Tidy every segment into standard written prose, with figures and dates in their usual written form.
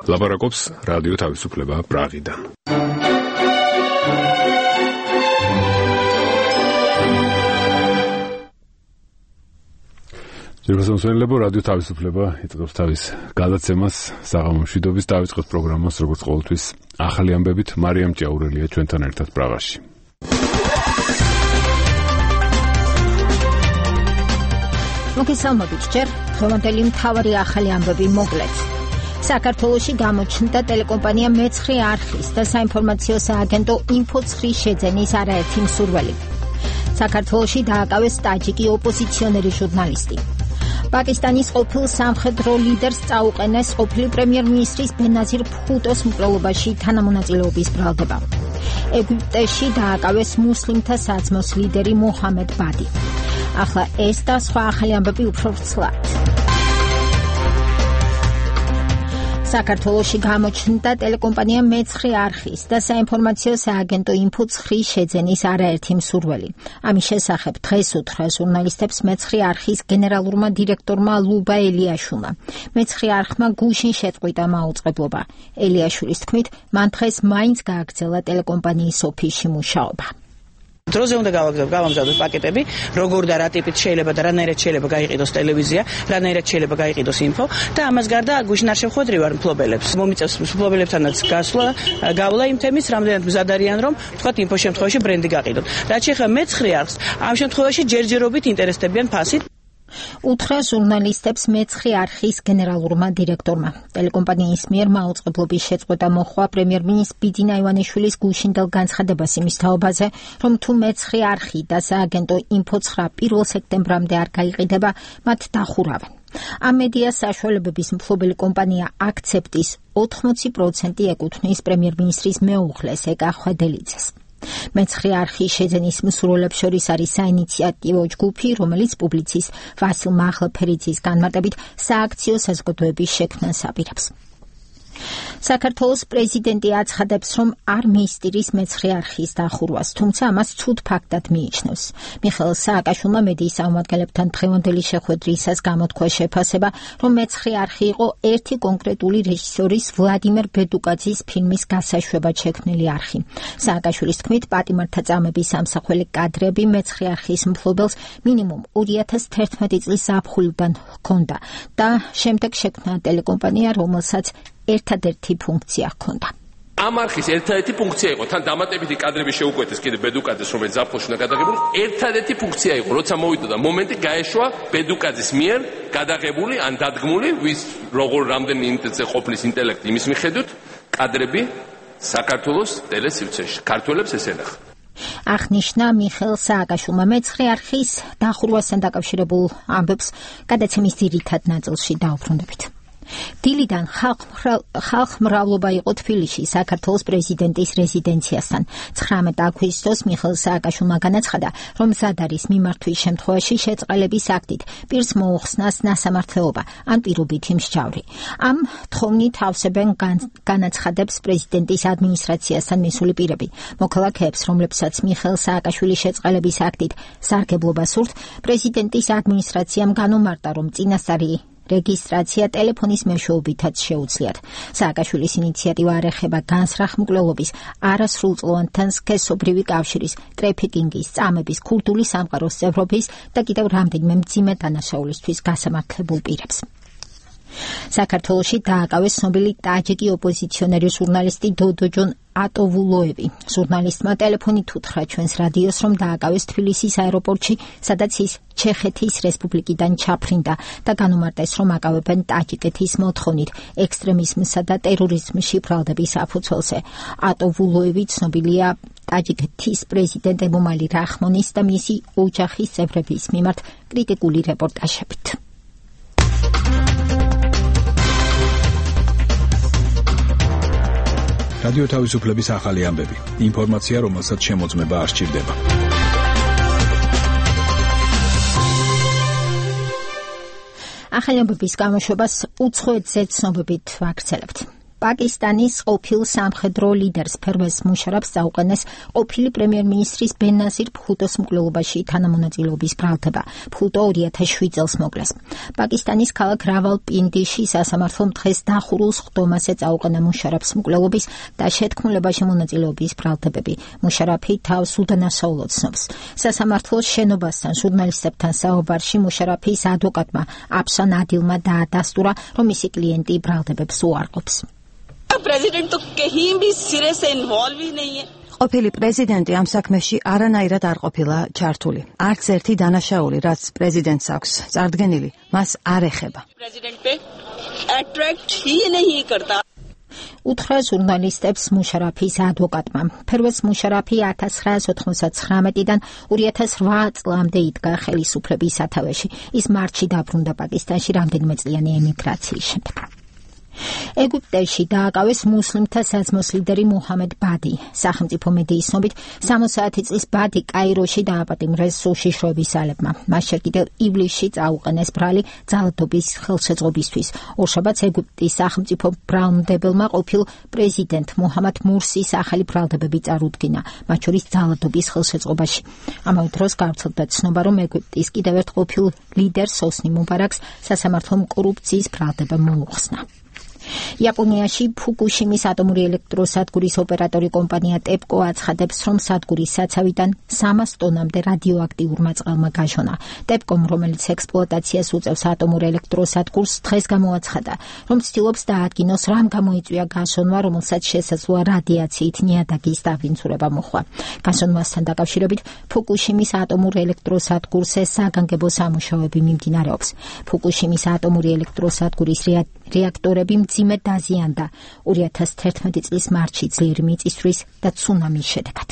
ლაპარაკობს რადიო თავისუფლება პრაღიდან. ჯერმოსონელებო რადიო თავისუფლება იწყებს თავის გადაცემას საღამო მშვიდობის დავიწყოთ პროგრამას როგორც ყოველთვის ახალი ამბებით მარიამ ჭაურელია ჩვენთან ერთად პრაღაში. მოგესალმებით ჯერ დღევანდელი მთავარი ახალი ამბები მოკლედ. საქართველოში გამოჩნდა ტელეკომპანია მეცხრე არხის და საინფორმაციო სააგენტო ინფო-3 შეძენის არაერთი მსურველი. საქართველოში დააკავეს ტაჯიკი ოპოზიციონერი ჟურნალისტი. პაკისტანის ყოფილ სამხედრო ლიდერს წაუყენეს ყოფილი პრემიერ-მინისტრის ბენაზირ ბჰუტოს მკვლელობაში თანამონაწილეობის ბრალდება. ეგვიპტეში დააკავეს მუსლიმთა საძმოს ლიდერი მოჰამედ ბადი. ახლა ეს და სხვა ახალი ამბები უფრო ვრცლად. საქართველოში გამოჩნდა ტელეკომპანია მეცხრე არხის და საინფორმაციო სააგენტო ინფო-3 შეძენის არაერთი მსურველი. ამის შესახებ დღეს უთხრა ჟურნალისტებს მეცხრე არხის გენერალურმა დირექტორმა ლუბა ელიაშვილმა. მეცხრე არხმა გუშინ შეწყვიტა მაუწყებლობა. ელიაშვილის თქმით, მან დღეს მაინც გააგრძელა ტელეკომპანიის ოფისში მუშაობა. დროზე უნდა გავამზადოთ პაკეტები, როგორ და რა ტიპით შეიძლება და რანაირად შეიძლება გაიყიდოს ტელევიზია, რანაირად შეიძლება გაიყიდოს ინფო და ამას გარდა გუშინ არ შევხვედრი ვარ მფლობელებს. მომიწევს მფლობელებთანაც გავლა იმ თემის, რამდენად მზად არიან, რომ თქვათ ინფო შემთხვევაში ბრენდი გაყიდოთ. რაც შეეხება მეცხრე არხს, ამ შემთხვევაში ჯერჯერობით ინტერესდებიან ფასით. უთხრა ჟურნალისტებს მეცხრე არხის გენერალურმა დირექტორმა. ტელეკომპანიის მიერ მაუწყებლობის შეწყვეტა მოჰყვა პრემიერ-მინისტრის ბიძინა ივანიშვილის გუშინდელ განცხადებას იმის თაობაზე, რომ თუ მეცხრე არხი და სააგენტო ინფო-3 1 სექტემბრამდე არ გაიყიდება, მათ დახურავენ. ამ მედია საშუალებების მფლობელი კომპანია აქცეპტის 80% ეკუთვნის პრემიერ-მინისტრის მეუღლეს ეკა ხვედელიძეს. მეცხრე არხის შეძენის მსურველებს შორის არის საინიციატივო ჯგუფი, რომელიც პუბლიცის ვასილ მაღლაფერიძის განმარტებით სააქციო საზოგადოების შექმნას აპირებს. საქართველოს პრეზიდენტი აცხადებს, რომ არ მიისწრის მეცხრე არხის დახურვას, თუმცა ამას ცუდ ფაქტად მიიჩნევს. მიხეილ სააკაშვილმა მედიის წარმომადგენლებთან დღევანდელი შეხვედრისას გამოთქვა შეფასება, რომ მეცხრე არხი იყო ერთი კონკრეტული რეჟისორის ვლადიმერ ბედუკაძის ფილმის გასაშვებად შექმნილი არხი. სააკაშვილის თქმით, პატიმართა წამების ამსახველი კადრები მეცხრე არხის მფლობელს მინიმუმ 2011 წლის ზაფხულიდან ჰქონდა და შემდეგ შექმნა ტელეკომპანია, რომელსაც ერთადერთი ფუნქცია ჰქონდა. ამ არხის ერთადერთი ფუნქცია იყო, თან დამატებითი კადრები შეუკვეთეს კიდე ბედუკაძეს, რომელიც ზაფხულში უნდა გადაღებული, ერთადერთი ფუნქცია იყო, როცა მოვიდა და მომენტი გაეშვა ბედუკაძის მიერ გადაღებული ან დადგმული, ვის როგორ რამდენი ინტელექტზე ყოფნის ინტელექტი იმის მიხედვით, კადრები საქართველოს ტელესივრცეში. ქართველებს ეს ენახა. აღნიშნა მიხეილ სააკაშვილმა. მეცხრე არხის დახურვასთან დაკავშირებულ ამბებს გადაცემის ძირითად ნაწილში დაუბრუნდებით. დილიდან ხალხმრავლობა იყო თბილისში საქართველოს პრეზიდენტის რეზიდენციასთან. 19 აგვისტოს მიხეილ სააკაშვილმა განაცხადა, რომ მზად არის მიმართვის შემთხვევაში შეწყალების აქტით პირს მოუხსნას ნასამართლეობა ან პირობითი მსჯავრი. ამ თხოვნით ავსებენ განაცხადებს პრეზიდენტის ადმინისტრაციასთან მისული პირები. მოქალაქეებს, რომლებსაც მიხეილ სააკაშვილის შეწყალების აქტით სარგებლობა სურთ, პრეზიდენტის ადმინისტრაციამ განუმარტა, რომ წინასწარი რეგისტრაცია ტელეფონის მეშვეობითაც შეუძლიათ. სააკაშვილის ინიციატივა არ ეხება განსრახ მკვლელობის, არასრულწლოვანთან სქესობრივი კავშირის, ტრეფიკინგის, წამების, ქურთული სამყაროს წევრობის და კიდევ რამდენიმე მძიმე დანაშაულისთვის გასამართლებულ პირებს. საქართველოში დააკავეს ცნობილი ტაჯიკი ოპოზიციონერი ჟურნალისტი დოდოჯონ ატოვულოევი. ჟურნალისტმა ტელეფონით უთხრა ჩვენს რადიოს, რომ დააკავეს თბილისის აეროპორტში, სადაც ის ჩეხეთის რესპუბლიკიდან ჩაფრინდა და განუმარტეს, რომ აკავებენ ტაჯიკეთის მოთხოვნით ექსტრემიზმსა და ტერორიზმში ბრალდების საფუძველზე. ატოვულოევი ცნობილია ტაჯიკეთის პრეზიდენტ ემომალი რახმონის და მისი ოჯახის წევრების მიმართ კრიტიკული რეპორტაჟებით. რადიო თავისუფლების ახალი ამბები. ინფორმაცია, რომელსაც შემოწმება არ სჭირდება. ახალი ამბების გამოშვებას უცხოეთზე ცნობებით ვაგრძელებთ. პაკისტანის ყოფილ სამხედრო ლიდერს ფერვეს მუშარაფს წაუყენეს ყოფილი პრემიერ-მინისტრის ბენაზირ ფუტოს მკვლელობაში თანამონაწილეობის ბრალდება. ფუტო 2007 წელს მოკლეს. პაკისტანის ქალაქ რავალპინდიში სასამართლომ დღეს დახურულს ხდომაზე წაუყენა მუშარაფს მკვლელობის და შეთქმულებაში მონაწილეობის ბრალდებები. მუშარაფი თავს უდანაშაულოდ ცნობს. სასამართლოს შენობასთან ჟურნალისტებთან საუბარში მუშარაფის ადვოკატმა აფშან ადილმა დაადასტურა, რომ მისი კლიენტი ბრალდებებს უარყოფს. प्रेसिडेंट तो कहीं भी सिरे से इन्वॉल्व ही नहीं है। ყოფილი პრეზიდენტი ამ საქმეში არანაირად არ ყოფილა ჩართული. არც ერთი დანაშაული, რაც პრეზიდენტს აქვს წარდგენილი, მას არ ეხება. प्रेसिडेंट पे अट्रैक्ट ही नहीं करता. უთხრა ჟურნალისტებს მუშარაფის ადვოკატმა. ფერვეს მუშარაფი 1999-დან 2008 წლამდე იდგა ხელისუფლების სათავეში. ის მარტში დაბრუნდა პაკისტანში რამდენიმე წლიანი ემიგრაციის შემდეგ. ეგვიპტეში დააკავეს მუსლიმთა საძმოს ლიდერი მუჰამედ ბადი. სახელმწიფო მედიის ცნობით 60 წლის ბადი კაიროში დააპატიმრეს უშიშროების ძალებმა. მას შე კიდევ ივლისში წაუყენეს ბრალი ძალადობის ხელშეწყობისთვის. ორშაბათს ეგვიპტის სახელმწიფო ბრალმდებელმა ყოფილ პრეზიდენტ მუჰამად მურსის ახალი ბრალდებები წარუდგინა, მათ შორის ძალადობის ხელშეწყობაში. ამავე დროს გავრცელდა ცნობა, რომ ეგვიპტის კიდევ ერთ ყოფილ ლიდერს ოსნი მუბარაკს სასამართლომ კორუფციის ბრალდება მოუხსნა. იაპონიაში ფუკუშიმის ატომური ელექტროსადგურის ოპერატორი კომპანია ტეპკო აცხადებს, რომ სადგურის საცავიდან 300 ტონამდე რადიოაქტიურმა წყალმა გაჟონა. ტეპკომ, რომელიც ექსპლუატაციას უწევს ატომურ ელექტროსადგურს, დღეს გამოაცხადა, რომ ცდილობს დაადგინოს, რამ გამოიწვია გაშონვა, რომელსაც შესაძლოა რადიაციით ნიადაგის დავინცურება მოხდა. გაშონვასთან დაკავშირებით ფუკუშიმის ატომურ ელექტროსადგურს საგანგებო სამუშაოები მიმდინარეობს. ფუკუშიმის ატომური ელექტროსადგურის რეაქტორები მძიმედ დაზიანდა 2011 წლის მარტში ძლიერი მიწისძვრის და ცუნამის შედეგად.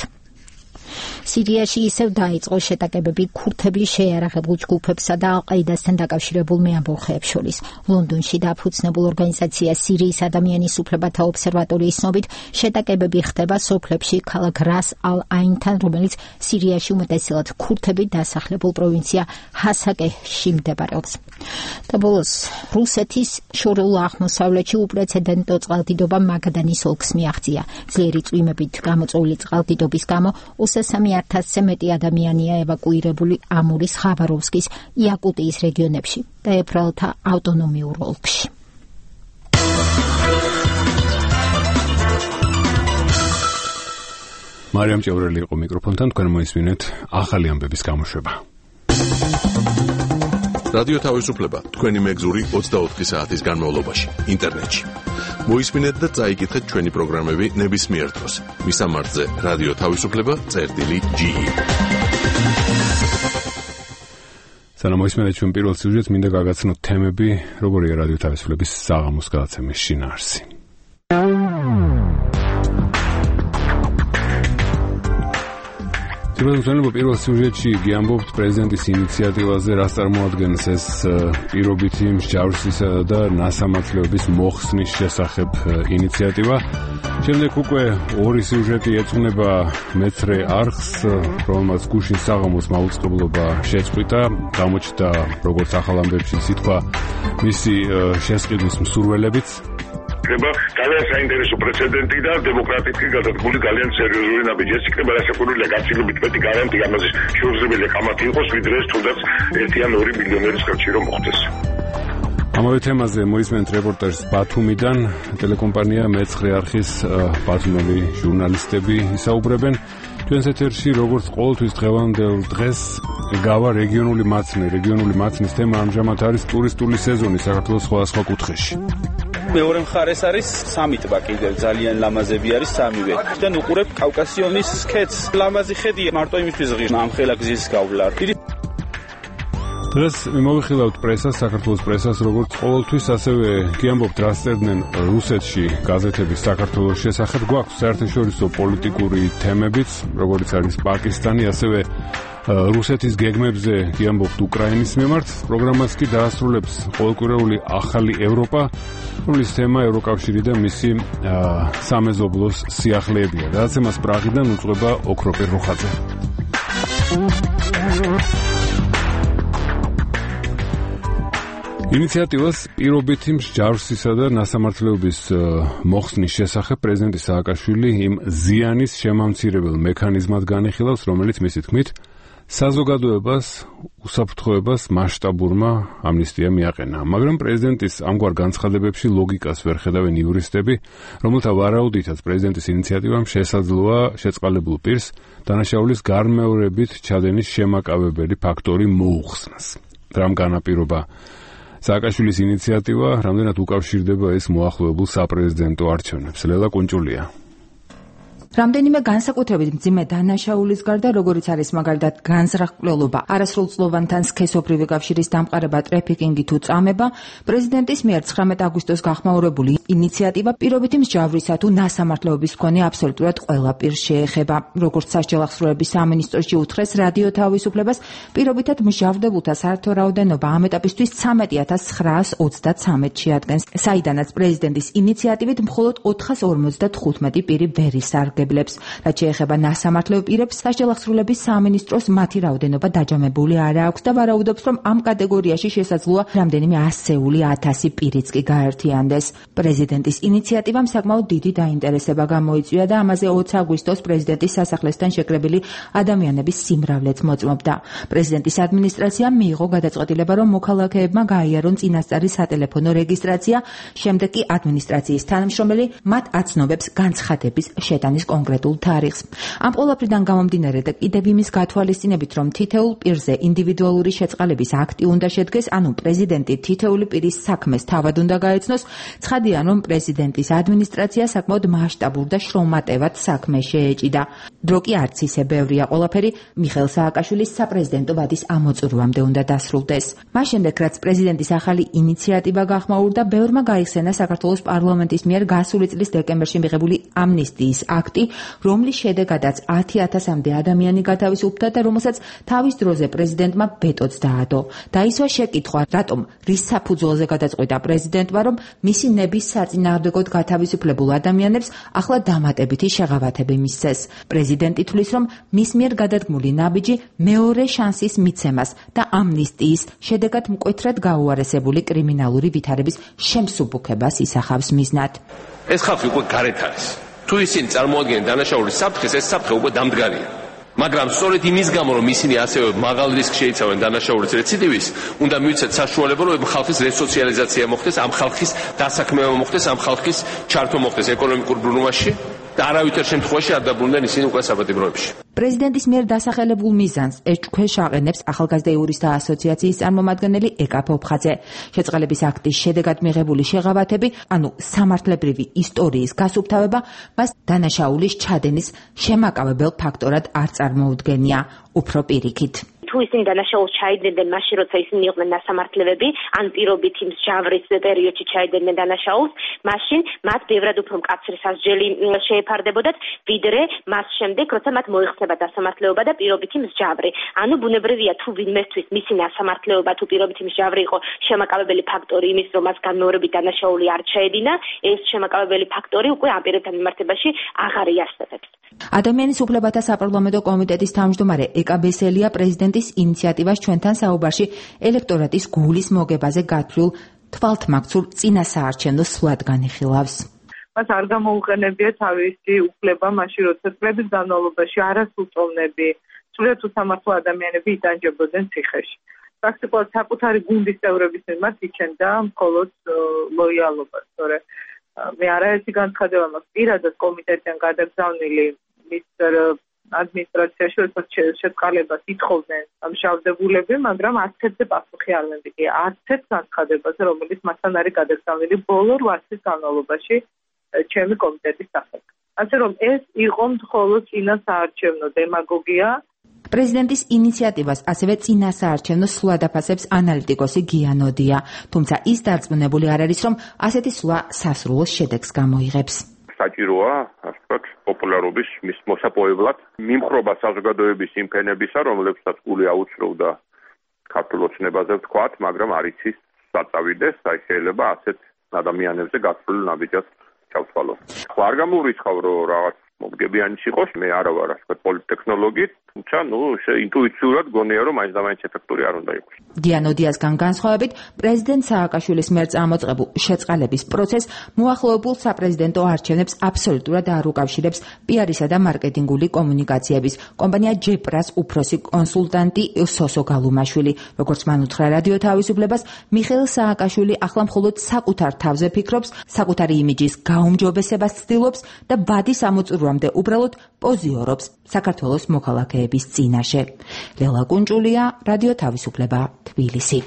სირიაში ისევ დაიწყო შეტაკებები ქურთების შეიარაღებულ ჯგუფებსა და ალ-ყაიდასთან დაკავშირებულ მეამბოხეებს შორის. ლონდონში დაფუძნებულ ორგანიზაცია სირიის ადამიანის უფლებათა ობსერვატორიის ცნობით, შეტაკებები ხდება სოფლებში ქალაქ რას ალ-აინთან, რომელიც სირიაში უმეტესად ქურთებით დასახლებულ პროვინცია ჰასაკეჰში მდებარეობს. და ბოლოს რუსეთის შორეულ აღმოსავლეთში უპრეცედენტო წყალდიდობა მაგადანის ოლქს მიაღწია. ძლიერი წვიმებით გამოწვეული წყალდიდობის გამო 23,000-ზე მეტი ადამიანია ევაკუირებული ამურის, ხაბაროვსკის, იაკუტიის რეგიონებში და ებრაელთა ავტონომიურ ოლქში. მარიამ ჭევრელი იყო მიკროფონთან, თქვენ მოისმინეთ ახალი ამბების გამოშვება. რადიო თავისუფლება თქვენი მეგზური 24 საათის განმავლობაში ინტერნეტში. მოისმინეთ და წაიკითხეთ ჩვენი პროგრამები ნებისმიერ დროს. მისამართზე რადიო თავისუფლება.ge. სანამ მოისმინეთ ჩვენ პირველ სიუჟეტს, მინდა გაგაცნოთ თემები, როგორია რადიო თავისუფლების საღამოს გადაცემის შინაარსი. პირველ სიუჟეტში გიამბობთ პრეზიდენტის ინიციატივაზე, რაც წარმოადგენს ეს პირობითი მსჯავრსისა და ნასამართლეობის მოხსნის შესახებ ინიციატივა. შემდეგ უკვე ორი სიუჟეტი ეძღვნება მეცხრე არხს, რომელმაც გუშინ საღამოს მაუწყებლობა შეწყვიტა, გამოჩნდა როგორც ახალ ამბებში სიტყვა მისი შესყიდვის მსურველებიც. იქნება ძალიან საინტერესო პრეცედენტი და დემოკრატიულად გადადგმული ძალიან სერიოზული ნაბიჯი. ეს იქნება რასაკვირველია გაცილებით მეტი გარანტია ამაზე შეუძლებელია კამათი იყოს, ვიდრე ეს თუნდაც 1 ან 2 მილიონერის ხელში რომ მოხდეს. ამავე თემაზე მოისმენთ რეპორტაჟს ბათუმიდან. ტელეკომპანია მეცხრე არხის ბათუმელი ჟურნალისტები ისაუბრებენ. ჩვენს ეთერში როგორც ყოველთვის დღევანდელ დღეს გავა რეგიონული მაცნე. რეგიონული მაცნის თემა ამჟამად არის ტურისტული სეზონი საქართველოს სხვადასხვა კუთხეში. მეორე მხარეს არის სამი ტბა, კიდევ ძალიან ლამაზები არის სამივე. და უყურებ კავკასიონის სქეთს. ლამაზი ხედია მარტო იმისთვის ღირს ამხელა გზის გავლა. დღეს მოვიხილავთ პრესას, საქართველოს პრესას, როგორც ყოველთვის, ასევე გიამბობთ, რას წერდნენ რუსეთში გაზეთების საქართველოს შესახებ. გვაქვს საერთაშორისო პოლიტიკური თემებიც, როგორც არის პაკისტანი, ასევე რუსეთის გეგმებზე გიამბობთ უკრაინის მიმართ. პროგრამას კი დაასრულებს ყოველკვირეული ახალი ევროპა, რომლის თემა ევროკავშირი და მისი სამეზობლოს სიახლეებია. გადაცემას პრაღიდან უძღვება ოქროპირ რუხაძე. ინიციატივას პირობითი მსჯავრსისა და ნასამართლეობის მოხსნის შესახებ პრეზიდენტი სააკაშვილი იმ ზიანის შემამცირებელ მექანიზმად განიხილავს, რომელიც მისი თქმით საზოგადოებას უსაფრთხოებას მასშტაბურმა ამნისტიამ მიაყენა. მაგრამ პრეზიდენტის ამგვარ განცხადებებში ლოგიკას ვერ ხედავენ იურისტები, რომელთა ვარაუდითაც პრეზიდენტის ინიციატივამ შესაძლოა შეწყალებულ პირს დანაშაულის გარმეორებით ჩადენის შემაკავებელი ფაქტორი მოუხსნას. რამ განაპირობა სააკაშვილის ინიციატივა, რამდენად უკავშირდება ეს მოახლოებულ საპრეზიდენტო არჩევნებს? ლელა კუნჭულია. რამდენიმე განსაკუთრებით მძიმე დანაშაულის გარდა, როგორც არის მაგალითად განზრახულობა, არასრულწლოვანთან სქესობრივი კავშირის დამყარება, ტრეფიკინგი თუ წამება, პრეზიდენტის მიერ 19 აგვისტოს გახმაურებული ინიციატივა პირობითი მსჯავრისა თუ ნასამართლეობის მქონე აბსოლუტურად ყველა პირს შეეხება. როგორც სასჯელ ახსრულების სამინისტროში უთხრეს რადიო თავისუფლებას, პირობითად მსჯავრდებულთა საერთო რაოდენობა ამ ეტაპისთვის 13,933 შეადგენს, საიდანაც პრეზიდენტის ინიციატივით მხოლოდ 455 პირი ვერ ისარგებლებს. რაც შეეხება ნასამართლეო პირებს, სასჯელ ახსრულების სამინისტროს მათი რაოდენობა დაჯამებული არ აქვს და ვარაუდობს, რომ ამ კატეგორიაში შესაძლოა რამდენიმე ასეული 1000 პირიც კი გაერთიანდეს. პრეზიდენტის ინიციატივამ საკმაოდ დიდი დაინტერესება გამოიწვია და ამაზე 20 აგვისტოს პრეზიდენტის სასახლესთან შეკრებილი ადამიანების სიმრავლეც მოწმობდა. პრეზიდენტის ადმინისტრაციამ მიიღო გადაწყვეტილება, რომ მოქალაქეებმა გაიარონ წინასწარი სატელეფონო რეგისტრაცია, შემდეგ კი ადმინისტრაციის თანამშრომელი მათ აცნობებს განცხადების შეტანის კონკრეტულ თარიღს. ამ ყველაფრიდან გამომდინარე და კიდევ იმის გათვალისწინებით, რომ თითოეულ პირზე ინდივიდუალური შეწყალების აქტი უნდა შედგეს, ანუ პრეზიდენტი თითოეული პირის საქმეს თავად უნდა გაეცნოს, ცხადია, რომ პრეზიდენტის ადმინისტრაცია საკმაოდ მასშტაბურ და შრომატევად საქმე შეეჭიდა. დრო კი არც ისე ბევრია, ყველაფერი მიხეილ სააკაშვილის საპრეზიდენტო ვადის ამოწურვამდე უნდა დასრულდეს. მას შემდეგ, რაც პრეზიდენტის ახალი ინიციატივა გახმაურდა, ბევრმა გაიხსენა საქართველოს პარლამენტის მიერ გასული წლის დეკემბერში მიღებული ამნისტიის აქტი, რომლის შედეგადაც 10,000-მდე ადამიანი გათავისუფლდა და რომელსაც თავის დროზე პრეზიდენტმა ვეტოც დაადო. დაისვა შეკითხვა, რატომ რის საფუძველზე გადაწყვიტა პრეზიდენტმა, რომ მისი ნების საწინააღმდეგოდ გათავისუფლებულ ადამიანებს ახლა დამატებითი შეღავათები მისცეს. პრეზიდენტი თვლის, რომ მის მიერ გადადგმული ნაბიჯი მეორე შანსის მიცემას და ამნისტიის შედეგად მკვეთრად გაუარესებული კრიმინალური ვითარების შემსუბუქებას ისახავს მიზნად. ეს ხალხი უკვე გარეთ არის. თუ ისინი წარმოადგენენ დანაშაულის საფრთხეს, ეს საფრთხე უკვე დამდგარია. მაგრამ სწორედ იმის გამო, რომ ისინი ასევე მაღალ რისკს შეიცავენ დანაშაულის რეციდივის, უნდა მივცეთ საშუალება, რომ ხალხის რესოციალიზაცია მოხდეს, ამ ხალხის დასაქმება მოხდეს, ამ ხალხის ჩართვა მოხდეს ეკონომიკურ ბრუნვაში და არავითარ შემთხვევაში არ დაბრუნდნენ ისინი უკვე საპატიმროებში. პრეზიდენტის მიერ დასახელებულ მიზანს ეჭქვეშ აყენებს ახალგაზრდა იურისტთა ასოციაციის წარმომადგენელი ეკა ფოფხაძე. შეწყალების აქტის შედეგად მიღებული შეღავათები, ანუ სამართლებრივი ისტორიის გასუფთავება, მას დანაშაულის ჩადენის შემაკავებელ ფაქტორად არ წარმოუდგენია, უფრო პირიქით. თუ ისინი დანაშაულს ჩაიდგნენ მაშინ, როცა ისინი იყვნენ ნასამართლებლები, ან პირობითი მსჯავრის პერიოდში ჩაიდგნენ დანაშაულს, მაშინ მათ ბევრად უფრო მკაცრი სასჯელი შეეფარდებოდათ, ვიდრე მას შემდეგ, როცა მათ მოიხსნება დასამართლეობა და პირობითი მსჯავრი. ანუ ბუნებრივია, თუ ვინმესთვის მისი ნასამართლეობა თუ პირობითი მსჯავრი იყო შემაკავებელი ფაქტორი იმის, რომ მას განმეორებით დანაშაული არ ჩაედინა, ეს შემაკავებელი ფაქტორი უკვე ამ პირებთან მიმართებაში აღარ იარსებებს. ადამიანის უფლებათა საპარლამენტო კომიტეტის თავმჯდომარე ეკა ბესელია პრეზიდენტის ინიციატივას ჩვენთან საუბარში ელექტორატის გულის მოგებაზე გათვლილ თვალთმაქცურ წინასაარჩევნო სვლად განიხილავს. მას არ გამოუყენებია თავისი უფლება მაშინ, როცა წლების განმავლობაში არასრულწლოვნები, სრულიად უსამართლო ადამიანები იტანჯებოდნენ ციხეში. პრაქტიკულად საკუთარი გუნდის წევრების მიმართ იჩენდა მხოლოდ ლოიალობას, თორე მე არაერთი განცხადება მაქვს პირადად კომიტეტიდან გადაგზავნილი მის ადმინისტრაციაში, როდესაც შეწყალებას ითხოვდნენ მშავდებულები, მაგრამ არც ერთზე პასუხი არ მემიგია, არც ერთ განცხადებაზე, რომელიც მასთან არის გადაგზავნილი ბოლო 8 წლის განმავლობაში ჩემი კომიტეტის სახით. ასე რომ ეს იყო მხოლოდ წინასაარჩევნო დემაგოგია. პრეზიდენტის ინიციატივას ასევე წინასაარჩევნო სვლად აფასებს ანალიტიკოსი გიანოდია, თუმცა ის დარწმუნებული არ არის, რომ ასეთი სვლა სასრულო შედეგს გამოიღებს. საჭიროა, ასე ვთქვათ, პოპულარობის მის მოსაპოვებლად მიმხრობა საზოგადოების იმ ფენებისა, რომლებსაც გული აუცროვდა ქართულ ოცნებაზე ვთქვათ, მაგრამ არ იცის საწავიდეს, აი შეიძლება ასეთ ადამიანებზე გასული ნაბიჯად ჩავთვალო. ხო არ გამოურიცხავ, რომ რაღაც მომგებიანიც იყოს, მე არა ვარ ასე პოლიტექნოლოგით, თუმცა ინტუიციურად გონია რომ მაინც და მაინც ეფექტური არ უნდა იყოს. დიანოდიასგან განსხვავებით, პრეზიდენტ სააკაშვილის მიერ წამოწყებულ შეწყალების პროცესს მოახლოებულ საპრეზიდენტო არჩევნებს აბსოლუტურად არ უკავშირებს პიარისა და მარკეტინგული კომუნიკაციების კომპანია ჯეპრას უფროსი კონსულტანტი სოსო გალუმაშვილი. როგორც მან უთხრა რადიო თავისუფლებას, მიხეილ სააკაშვილი ახლა მხოლოდ საკუთარ თავზე ფიქრობს, საკუთარი იმიჯის გაუმჯობესებას ცდილობს და ბადის ამოწურვამდე უბრალოდ პოზიორობს საქართველოს მოქალაქეების წინაშე. ლელა კუნჭულია, რადიო თავისუფლება, თბილისი.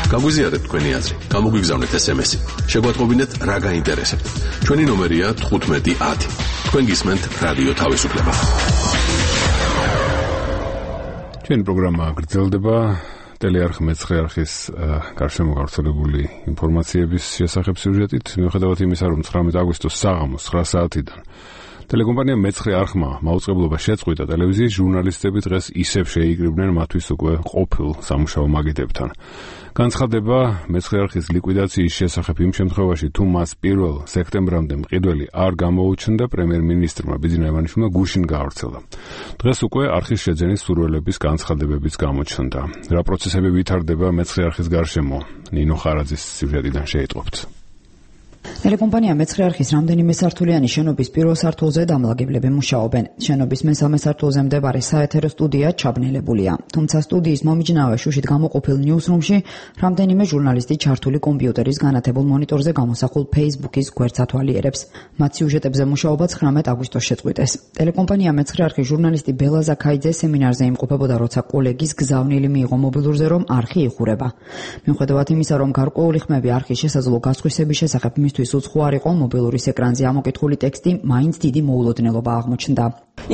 გაგვიზიარეთ თქვენი აზრი, გამოგვიგზავნეთ SMS-ი. შეგვატყობინეთ რა გაინტერესებთ. ჩვენი ნომერია 1510. თქვენ გისმენთ რადიო თავისუფლება. ჩვენი პროგრამა გრძელდება. ტელეარხ მეცხრე არხის გარშემო გავრცელებული ინფორმაციების შესახებ სიუჟეტით, მიუხედავად იმისა, რომ 19 აგვისტოს საღამოს 9 საათიდან ტელეკომპანია მეცხრე არხმა მაუწყებლობა შეწყვიტა, ტელევიზიის ჟურნალისტები დღეს ისევ შეიკრიბნენ მათთვის უკვე ყოფილ სამუშაო მაგიდებთან. განცხადება მეცხრე არხის ლიკვიდაციის შესახებ იმ შემთხვევაში, თუ მას 1 სექტემბრამდე მყიდველი არ გამოუჩნდა, პრემიერ-მინისტრმა ბიძინა ივანიშვილმა გუშინ გაავრცელა. დღეს უკვე არხის შეძენის სურვილების განცხადებებიც გამოჩნდა. რა პროცესები ვითარდება მეცხრე არხის გარშემო? ნინო ხარაძის სიუჟეტიდან შეიტყობთ. ტელეკომპანია მეცხრე არხის რამდენიმე სართულიანი შენობის პირველ სართულზე დამლაგებლები მუშაობენ. შენობის მესამე სართულზე მდებარე საეთერო სტუდია ჩაბნელებულია. თუმცა სტუდიის მომიჯნავე შუშით გამოყოფილ ნიუსრუმში რამდენიმე ჟურნალისტი ჩართული კომპიუტერის განათებულ მონიტორზე გამოსახულ Facebook-ის გვერდს ათვალიერებს. მათ სიუჟეტებზე მუშაობა 19 აგვისტოს შეწყვიტეს. ტელეკომპანია მეცხრე არხის ჟურნალისტი ბელა ზაქაიძე სემინარზე იმყოფებოდა, როცა კოლეგის გზავნილი მიიღო მობილურზე, რომ არხი იხურება. მიუხედავად იმისა, რომ გარკვეული ხმები არხის შესაძლო გასხვისების შესახებ მისთვის უცხო არ იყო, მობილურის ეკრანზე ამოკითხული ტექსტი მაინც დიდი მოულოდნელობა აღმოჩნდა.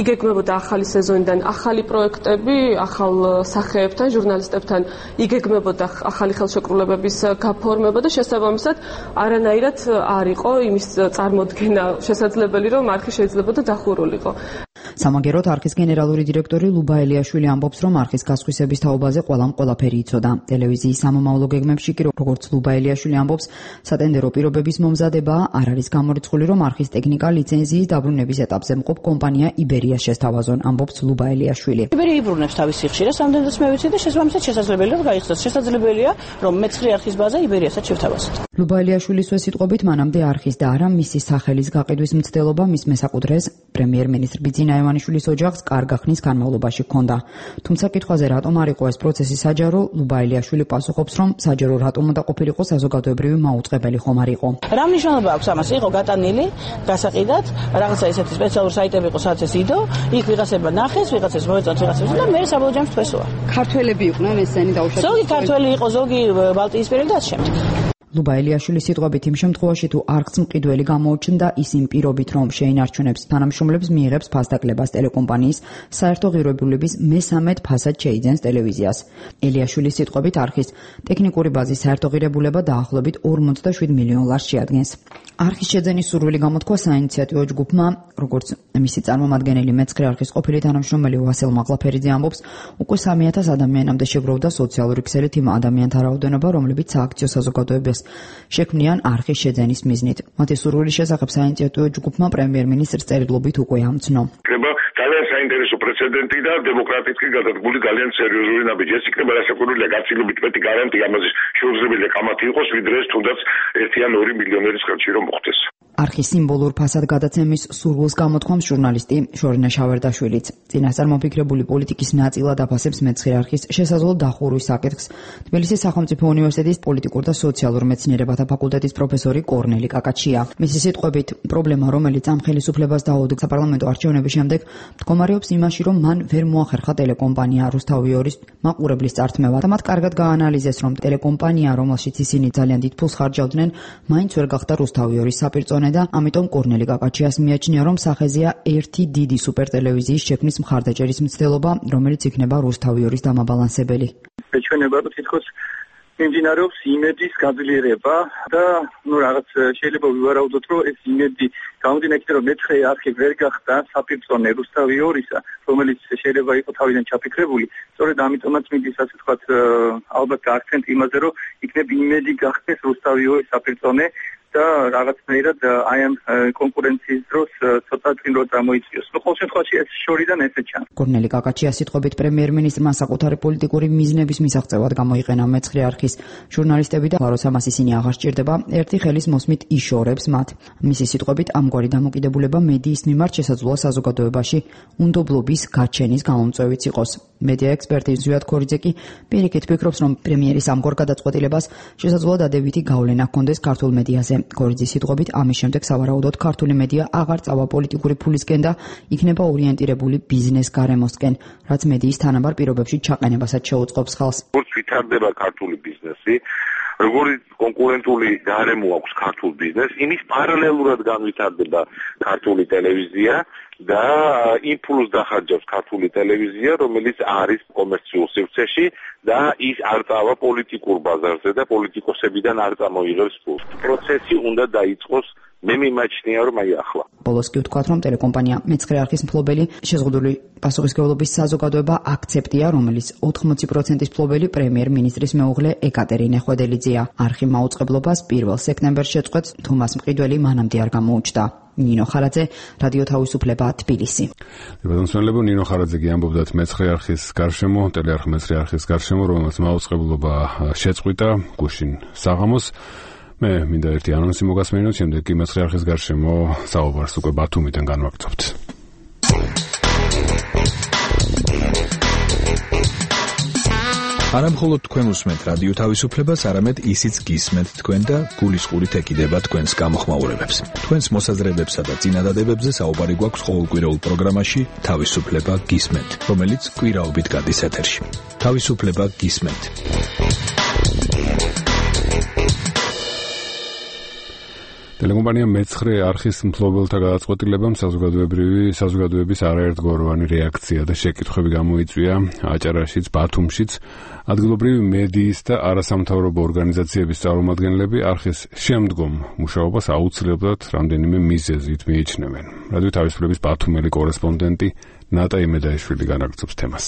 იგეგმებოდა ახალი სეზონიდან ახალი პროექტები, ახალ სახეებთან, ჟურნალისტებთან იგეგმებოდა ახალი ხელშეკრულებების გაფორმება და შესაბამისად არანაირად არ იყო იმის წარმოდგენა შესაძლებელი, რომ არხი შეიძლება დახურულიყო. სამაგეროთ არხის გენერალური დირექტორი ლუბა ელიაშვილი ამბობს, რომ არხის გასხვისების თაობაზე ყველაფერი იცოდა. ტელევიზიის სამომავლო გეგმებში კი, როგორც ლუბა ელიაშვილი ამბობს, სატენდერო პირობების მომზადება არ არის გამორიცხული, რომ არხის ტექნიკა ლიცენზიის დაბრუნების ეტაპზე მყოფ კომპანია იბერია შესთავაზონ, ამბობს ლუბა ელიაშვილი. იბერია იბრუნებს თავის სიხშირეს, ამდენადაც მე ვიცი და შესაბამისად შესაძლებელია რომ გაიხსნას. შესაძლებელია რომ მეცხრე არხის ბაზა იბერიასაც შევთავაზოთ. ლუბა ელიაშვილის სიტყვებით, მანამდე არხის და არა მისი სახელის გაყიდვის მცდელობა მის მესაკუთრეს პრემიერ-მინისტრ ბიძინა ივანიშვილის ოჯახს კარგა ხნის განმავლობაში ჰქონდა. თუმცა კითხვაზე რატომ არ იყო ეს პროცესი საჯარო, ლუბა ელიაშვილი პასუხობს, რომ საჯარო რატომ უნდა ყოფილიყო საზოგადოებრივი მაუწყებელი ხომ არ იყო. რა მნიშვნელობა აქვს ამას? იყო გატანილი, გასაყიდად, რაღაცა ესეთი სპეციალური საიტები იყო, სადაც ეს იდო, იქ ვიღაცება ნახეს, ვიღაცას მოეწონთ, ვიღაცას და მე საბოლოო ჯამში თქვესოა. ქართველები იყვნენ ესენი დაუშვათ. ზოგი ქართველი იყო, ზოგი ბალტიისპირელი და ასე შემდეგ. ლუბა ელიაშვილის სიტყვებით, იმ შემთხვევაში თუ არხს მყიდველი გამოუჩნდა, ის იმ პირობით, რომ შეინარჩუნებს თანამშრომლებს, მიიღებს ფასდაკლებას ტელეკომპანიის საერთო ღირებულების მე-13 ფასად შეიძენს ტელევიზიას. ელიაშვილის სიტყვებით, არხის ტექნიკური ბაზის საერთო ღირებულება დაახლოებით 47 მილიონ ლარს შეადგენს. არხის შეძენის სურვილი გამოთქვა საინიციატივო ჯგუფმა, როგორც მისი წარმომადგენელი მეცხრე არხის ყოფილი თანამშრომელი ვასილ მაღლაფერიძე ამბობს, უკვე 3000 ადამიანამდე შეგროვდა სოციალური ქსელით იმ ადამიანთა რაოდენობა, რომლებიც სააქციო საზოგადოებას შექმნიან არხის შეძენის მიზნით. მათი სურვილის შესახებ საინიციატივო ჯგუფმა პრემიერ-მინისტრს წერილობით უკვე ამცნო. ძალიან საინტერესო პრეცედენტი და დემოკრატიski გადადგმული ძალიან სერიოზული ნაბიჯი. ეს იქნება რასაკვირველია გაცილებით მეტი გარანტია ამაზე შეუძლებელია კამათი იყოს, ვიდრე ეს თუნდაც 1 ან 2 მილიონერის ხელში რომ მოხდეს. არხის სიმბოლურ ფასად გადაცემის სურვილს გამოთქვამს ჟურნალისტი შორინა შავერდაშვილიც. წინასწარ მომფიქრებული პოლიტიკის ნაწილად აფასებს მეცხრე არხის შესაძლო დახურვის საკითხს თბილისის სახელმწიფო უნივერსიტეტის პოლიტიკურ და სოციალურ მეცნიერებათა ფაკულტეტის პროფესორი კორნელი კაკაჩია. მისი სიტყვებით, პრობლემა, რომელიც ამ ხელისუფლებას დაუდგა საპარლამენტო არჩევნების შემდეგ, მდგომარეობს იმაში, რომ მან ვერ მოახერხა ტელეკომპანია რუსთავი 2-ის მაყურებლის წართმევა და მათ კარგად გაანალიზეს, რომ ტელეკომპანია, რომელშიც ისინი ძალიან დიდ ფულს ხარჯავდნენ, მაინც ვერ გახდა რუსთავი 2-ის საპირწონე და ამიტომ კორნელი კაკაჩიას მიაჩნია, რომ სახეზეა ერთი დიდი სუპერთელევიზიის შექმნის მხარდაჭერის მცდელობა, რომელიც იქნება რუსთავი 2-ის დამაბალანსებელი. ეჩვენება, რომ თითქოს მიმდინარეობს იმედის გაძლიერება და რაღაც შეიძლება ვივარაუდოთ, რომ ეს იმედი გამომდინარე იქიდან, რომ მეცხრე არხი ვერ გახდა საპირწონე რუსთავი 2-ისა, რომელიც შეიძლება იყო თავიდან ჩაფიქრებული, სწორედ ამიტომაც მიდის ასე ვთქვათ, ალბათ აქცენტი იმაზე, რომ იქნებ იმედი გახდეს რუსთავი 2-ის საპირწონე და რაღაცნაირად აი ამ კონკურენციის დროს ცოტა წინრო წამოიწიოს. ნუ ყოველ შემთხვევაში ეს შორიდან ესე ჩანს. კორნელი კაკაჩია სიტყვებით პრემიერ-მინისტრმა საკუთარი პოლიტიკური მიზნების მისაღწევად გამოიყენა მეცხრე არხის ჟურნალისტები და როცა მას ისინი აღარ სჭირდება, ერთი ხელის მოსმით იშორებს მათ. მისი სიტყვებით ამგვარი დამოკიდებულება მედიის მიმართ შესაძლოა საზოგადოებაში უნდობლობის გაჩენის გამომწვევიც იყოს. მედია ექსპერტი ზვიად ქორიძე კი პირიქით ფიქრობს, რომ პრემიერის ამგვარ გადაწყვეტილებას შესაძლოა დადებითი გავლენა ჰქონდეს ქართულ მედიაზე. ქორიძის სიტყვებით ამის შემდეგ სავარაუდოდ ქართული მედია აღარ წავა პოლიტიკური ფულისკენ და იქნება ორიენტირებული ბიზნეს გარემოსკენ, რაც მედიის თანაბარ პირობებში ჩაყენებასაც შეუწყობს ხალხს. როგორც ვითარდება ქართული ბიზნესი, როგორი კონკურენტული გარემო აქვს ქართულ ბიზნესს, იმის პარალელურად განვითარდება ქართული ტელევიზია და იმპულს დახარჯავს ქართული ტელევიზია, რომელიც არის კომერციულ სივრცეში და ის არ წავა პოლიტიკურ ბაზარზე და პოლიტიკოსებიდან არ წამოიღებს ფულს. პროცესი უნდა დაიწყოს. მე მიმაჩნია, რომ აი ახლა. ბოლოს კი ვთქვათ, რომ ტელეკომპანია მეცხრე არხის მფლობელი შეზღუდული პასუხისმგებლობის საზოგადოება აქცეპტია, რომელიც 80%-ის მფლობელი პრემიერ-მინისტრის მეუღლე ეკატერინე ხვედელიძეა. არხი მაუწყებლობას 1 სექტემბერს შეწყვეტს, თუმას მყიდველი მანამდე არ გამოუჩნდა. ნინო ხარაძე, რადიო თავისუფლება, თბილისი. ბატონსმენლებო, ნინო ხარაძე გიამბობდათ მეცხრე არხის გარშემო, ტელეარხ მეცხრე არხის გარშემო, რომელსაც მაუწყებლობა შეწყვიტა გუშინ საღამოს. მე მინდა ერთი ანონსი მოგასმენინოთ, შემდეგ კი მეცხრე არხის გარშემო საუბარს უკვე ბათუმიდან განვაგრძობთ. არა მხოლოდ თქვენ უსმენთ რადიო თავისუფლებას, არამედ ისიც გისმენთ თქვენ და გულისყურით ეკიდება თქვენს გამოხმაურებებს. თქვენს მოსაზრებებსა და წინადადებებზე საუბარი გვაქვს ყოველკვირეულ პროგრამაში თავისუფლება გისმენთ, რომელიც კვირაობით გადის ეთერში. თავისუფლება გისმენთ. ტელეკომპანია მეცხრე არხის მფლობელთა გადაწყვეტილებამ საზოგადოების არაერთგვაროვანი რეაქცია და შეკითხვები გამოიწვია აჭარაშიც, ბათუმშიც. ადგილობრივი მედიის და არასამთავრობო ორგანიზაციების წარმომადგენლები არხის შემდგომ მუშაობას აუცილებლად რამდენიმე მიზეზით მიიჩნევენ. რადიო თავისუფლების ბათუმელი კორესპონდენტი ნატა იმედაიშვილი განაგრძობს თემას.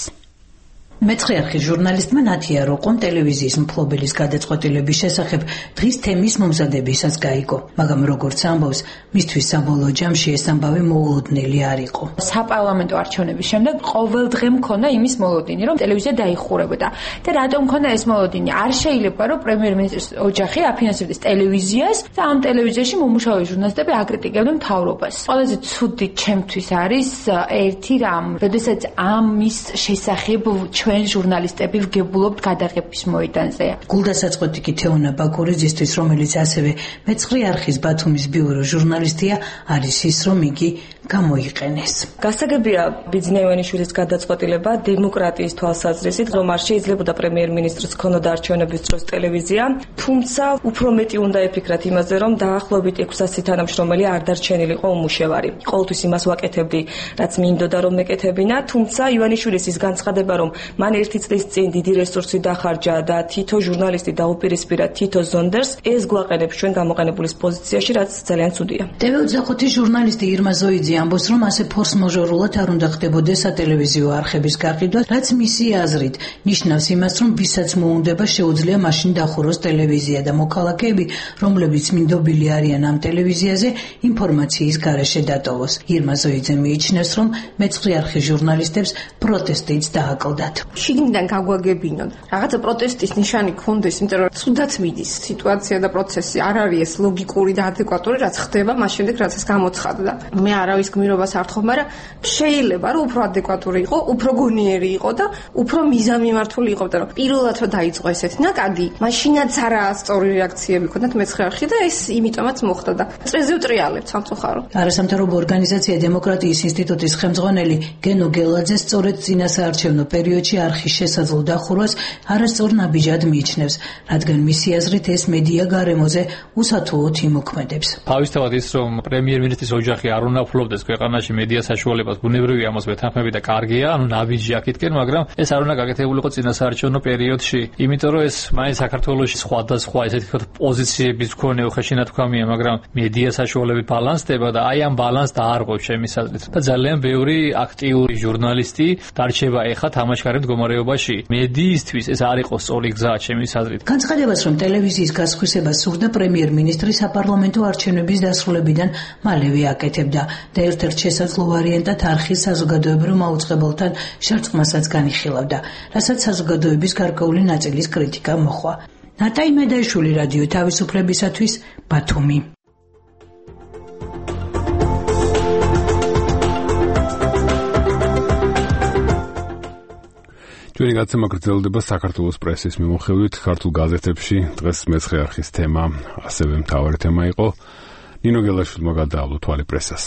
მეცხრე არხის ჟურნალისტმა ნათია როყომ ტელევიზიის მფლობელის გადაწყვეტილების შესახებ დღის თემის მომზადებისას გაიგო, მაგრამ როგორც ამბობს, მისთვის საბოლოო ჯამში ეს ამბავი მოულოდნელი არ იყო. საპარლამენტო არჩევნების შემდეგ ყოველ დღე მქონდა იმის მოლოდინი, რომ ტელევიზია დაიხურებოდა. და რატომ მქონდა ეს მოლოდინი? არ შეიძლება, რომ პრემიერ-მინისტრის ოჯახი აფინანსებდეს ტელევიზიას და ამ ტელევიზიაში მომუშავე ჟურნალისტები აკრიტიკებდნენ მთავრობას. ყველაზე ცუდი ჩემთვის არის ერთი რამ, როდესაც ამის შესახებ ჩვენ ჟურნალისტები ვგებულობთ გადაღების მოედანზე. გულდასაწყვეტი კი თეონა ბაკურიძისთვის, რომელიც ასევე მეცხრე არხის ბათუმის ბიურო ჟურნალისტია, არის ის, რომ იგი გამოიყენეს. გასაგებია ბიძინევანიშვილის გადაწყვეტილება დემოკრატიის თვალსაზრისით, რომ არ შეიძლებოდა პრემიერ-მინისტრს ქონოდა არჩევნების დროს ტელევიზია, თუმცა უფრო მეტი უნდა ეფიქრათ იმაზე, რომ დაახლოებით 600 თანამშრომელი არ დარჩენილიყო უმუშევარი. ყოველთვის იმას ვაკეთებდი, რაც მინდოდა რომ მეკეთებინა, თუმცა ივანიშვილის ის განცხადება, რომ მან ერთი წლის წინ დიდი რესურსი დახარჯა და თითო ჟურნალისტი დაუპირისპირა თითო ზონდერს, ეს გვაყენებს ჩვენ გამოყენებულის პოზიციაში, რაც ძალიან ცუდია. TV24-ის ჟურნალისტი ირმა ზოიძე ამბობს, რომ ასე ფორს-მაჟორულად არ უნდა ხდებოდეს სატელევიზიო არხების გაყიდვა, რაც მისი აზრით ნიშნავს იმას, რომ ვისაც მოუნდება შეუძლია მაშინ დახუროს ტელევიზია და მოქალაქეები, რომლებიც მინდობილი არიან ამ ტელევიზიაზე, ინფორმაციის გარეშე დატოვოს. ირმა ზოიძე მიიჩნევს, რომ მეცხრე არხის ჟურნალისტებს პროტესტიც დააკლდათ. შიგნიდან გაგვაგებინონ. რაღაცა პროტესტის ნიშანი ქონდეს, იმიტომ რომ ცუდად მიდის სიტუაცია და პროცესი არ არის ეს ლოგიკური და ადეკვატური, რაც ხდება მას შემდეგ, რაც ეს გამოცხადდა. მე არავის გმირობას არ თხოვ, მაგრამ შეიძლება რომ უფრო ადეკვატური იყო, უფრო გონიერი იყო და უფრო მიზანმიმართული იყო, იმიტომ რომ პირველად რომ დაიწყო ესეთი ნაკადი, მაშინაც არა სწორი რეაქციები ქონდათ მეცხრე არხში და ეს იმიტომაც მოხდა და წესზე ვტრიალებ სამწუხაროდ. არასამთავრობო ორგანიზაცია დემოკრატიის ინსტიტუტის ხელმძღვანელი გენო გელაძე სწორედ წინასაარჩევნო პერიოდში არხის შესაძლო დახურვას არასწორ ნაბიჯად მიიჩნევს, რადგან მისი აზრით ეს მედია გარემოზე უსათუოდ იმოქმედებს. თავისთავად ის, რომ პრემიერ-მინისტრის ოჯახი არ უნდა ფლობდა გრძელდეს ქვეყანაში მედია საშუალებას ბუნებრივი ამას მეთანხმები და კარგია, ანუ ნაბიჯი აქეთკენ, მაგრამ ეს არ უნდა გაკეთებულიყო წინასაარჩევნო პერიოდში, იმიტომ რომ ეს მაინც საქართველოში სხვადასხვა ესეთი თქო პოზიციების მქონე უხეში ნათქვამია, მაგრამ მედია საშუალები ბალანსდება და აი ამ ბალანსს დაარღვევს ჩემი აზრით. და ძალიან ბევრი აქტიური ჟურნალისტი დარჩება ეხა თამაშგარე მდგომარეობაში. მედიისთვის ეს არ იყო სწორი გზა ჩემი აზრით. განცხადებას, რომ ტელევიზიის გასხვისებას სურდა პრემიერ-მინისტრი საპარლამენტო არჩევნების დასრულებიდან მალევე აკეთებდა და ერთ-ერთ შესაძლო ვარიანტად არხის საზოგადოებრივ მაუწყებელთან შერწყმასაც განიხილავდა, რასაც საზოგადოების გარკვეული ნაწილის კრიტიკა მოჰყვა. ნატაი მედაიშვილი, რადიო თავისუფლებისათვის, ბათუმი. ჩვენი გაცემა გრძელდება საქართველოს პრესის მიმოხილვით ქართულ გაზეთებში. დღეს მეცხრე არხის თემა ასევე მთავარი თემა იყო. ნინო გელაშვილმა გადაავლო თვალი პრესას.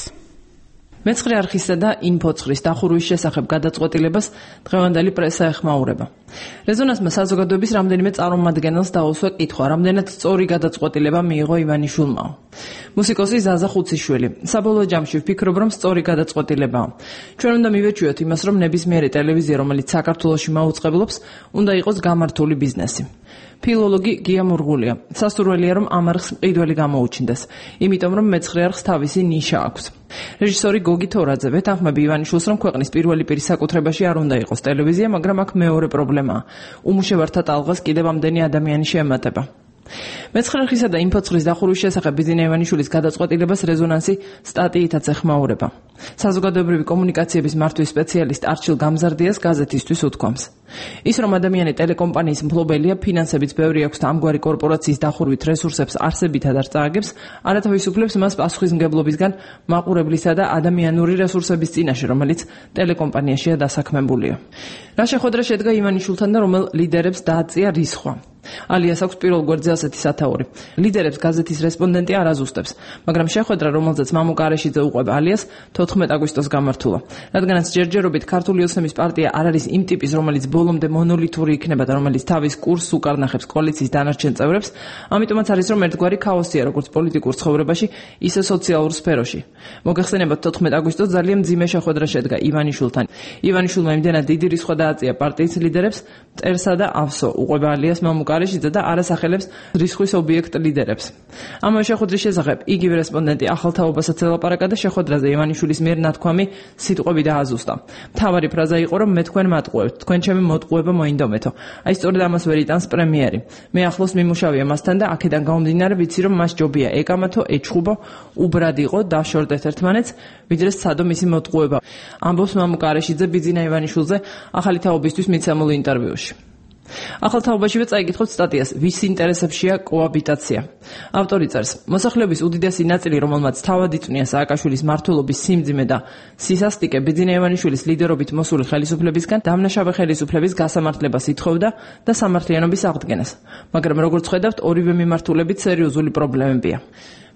მეცხრე არხისა და ინფოცხრის დახურვის შესახებ გადაწყვეტილებას დღევანდელი პრესა ეხმაურება. რეზონანსმა საზოგადოების რამდენიმე წარმომადგენელს დაუსვა კითხვა, რამდენად სწორი გადაწყვეტილება მიიღო ივანიშვილმა. მუსიკოსი ზაზა ხუციშვილი: საბოლოო ჯამში ვფიქრობ, რომ სწორი გადაწყვეტილებაა. ჩვენ უნდა მივეჩვიოთ იმას, რომ ნებისმიერი ტელევიზია, რომელიც საქართველოში მაუწყებლობს, უნდა იყოს გამართული ბიზნესი. ფილოლოგი გია მურღულია: სასურველია, რომ ამ არხს მყიდველი გამოუჩნდეს, იმიტომ რომ მეცხრე არხს თავისი ნიშა აქვს. რეჟისორი გოგი თორაძე ვეთანხმები ივანიშვილს, რომ ქვეყნის პირველი პირის საკუთრებაში არ უნდა იყოს ტელევიზია, მაგრამ აქ მეორე პრობლემაა. უმუშევართა ტალღას კიდევ ამდენი ადამიანი შეემატება. მეცხრე არხისა და ინფოცხრის დახურვის შესახებ ბიზინა ივანიშვილის გადაწყვეტილებას რეზონანსი სტატიითაც ეხმაურება. საზოგადოებრივი კომუნიკაციების მართვის სპეციალისტ არჩილ გამზარდიას გაზეთისთვის უთქვამს: ის რომ ადამიანი ტელეკომპანიის მფლობელია, ფინანსებიც ბევრი აქვს და ამგვარი კორპორაციის დახურვით რესურსებს არსებითად არ წააგებს, არათავისუფლებს მას პასუხისმგებლობისგან მაყურებლისა და ადამიანური რესურსების წინაშე, რომელიც ტელეკომპანიაშია დასაქმებულია. რა შეხვედრა შედგა ივანიშვილთან და რომელ ლიდერებს დააწია რისხვა? ალიას აქვს პირველ გვერდზე ასეთი სათაური: ლიდერებს გაზეთის რესპონდენტი არ აზუსტებს, მაგრამ შეხვედრა, რომელზეც მამუ კარეშიძე უყვება ალიას, 14 აგვისტოს გამართულა. რადგანაც ჯერჯერობით ქართული ოცნების პარტია არ არის იმ ტიპის, რომელიც ბოლომდე მონოლითური იქნება და რომელიც თავის კურსს უკარნახებს კოალიციის დანარჩენ წევრებს, ამიტომაც არის, რომ ერთგვარი ქაოსია როგორც პოლიტიკურ ცხოვრებაში, ისე სოციალურ სფეროში. მოგეხსენებათ, 14 აგვისტოს ძალიან მძიმე შეხვედრა შედგა ივანიშვილთან. ივანიშვილმა იმდენად დიდი რისხვა დააწია პარტიის ლიდერებს, მწერსა და ავსო, უყვება ალიას მამუ კარეშიძე და არასახელებს რისხვის ობიექტ ლიდერებს. ამავე შეხვედრის შესახებ იგივე რესპონდენტი ახალთაობასაც ელაპარაკა და შეხვედრაზე ივანიშვილის მიერ ნათქვამი სიტყვები დააზუსტა. მთავარი ფრაზა იყო, რომ მე თქვენ მატყუებთ, თქვენ ჩემი მოტყუება მოინდომეთო. აი სწორედ ამას ვერ იტანს პრემიერი. მე ახლოს მიმუშავია მასთან და აქედან გამომდინარე ვიცი, რომ მას ჯობია ეკამათო, ეჩხუბო, უბრად იყო, დაშორდეთ ერთმანეთს, ვიდრე სცადო მისი მოტყუება. ამბობს მამუ კარეშიძე ბიძინა ივანიშვილზე ახალი თაობისთვის მიცემულ ინტერვიუში. ახალთაობაშივე წაიკითხოთ სტატიას ვის ინტერესებშია კოაბიტაცია. ავტორი წერს: მოსახლეობის უდიდესი ნაწილი, რომელმაც თავად იწვნია სააკაშვილის მმართველობის სიმძიმე და სისასტიკე ბიძინა ივანიშვილის ლიდერობით მოსული ხელისუფლებისგან დამნაშავე ხელისუფლების გასამართლებას ითხოვდა და სამართლიანობის აღდგენას. მაგრამ როგორც ხედავთ, ორივე მიმართულებით სერიოზული პრობლემებია.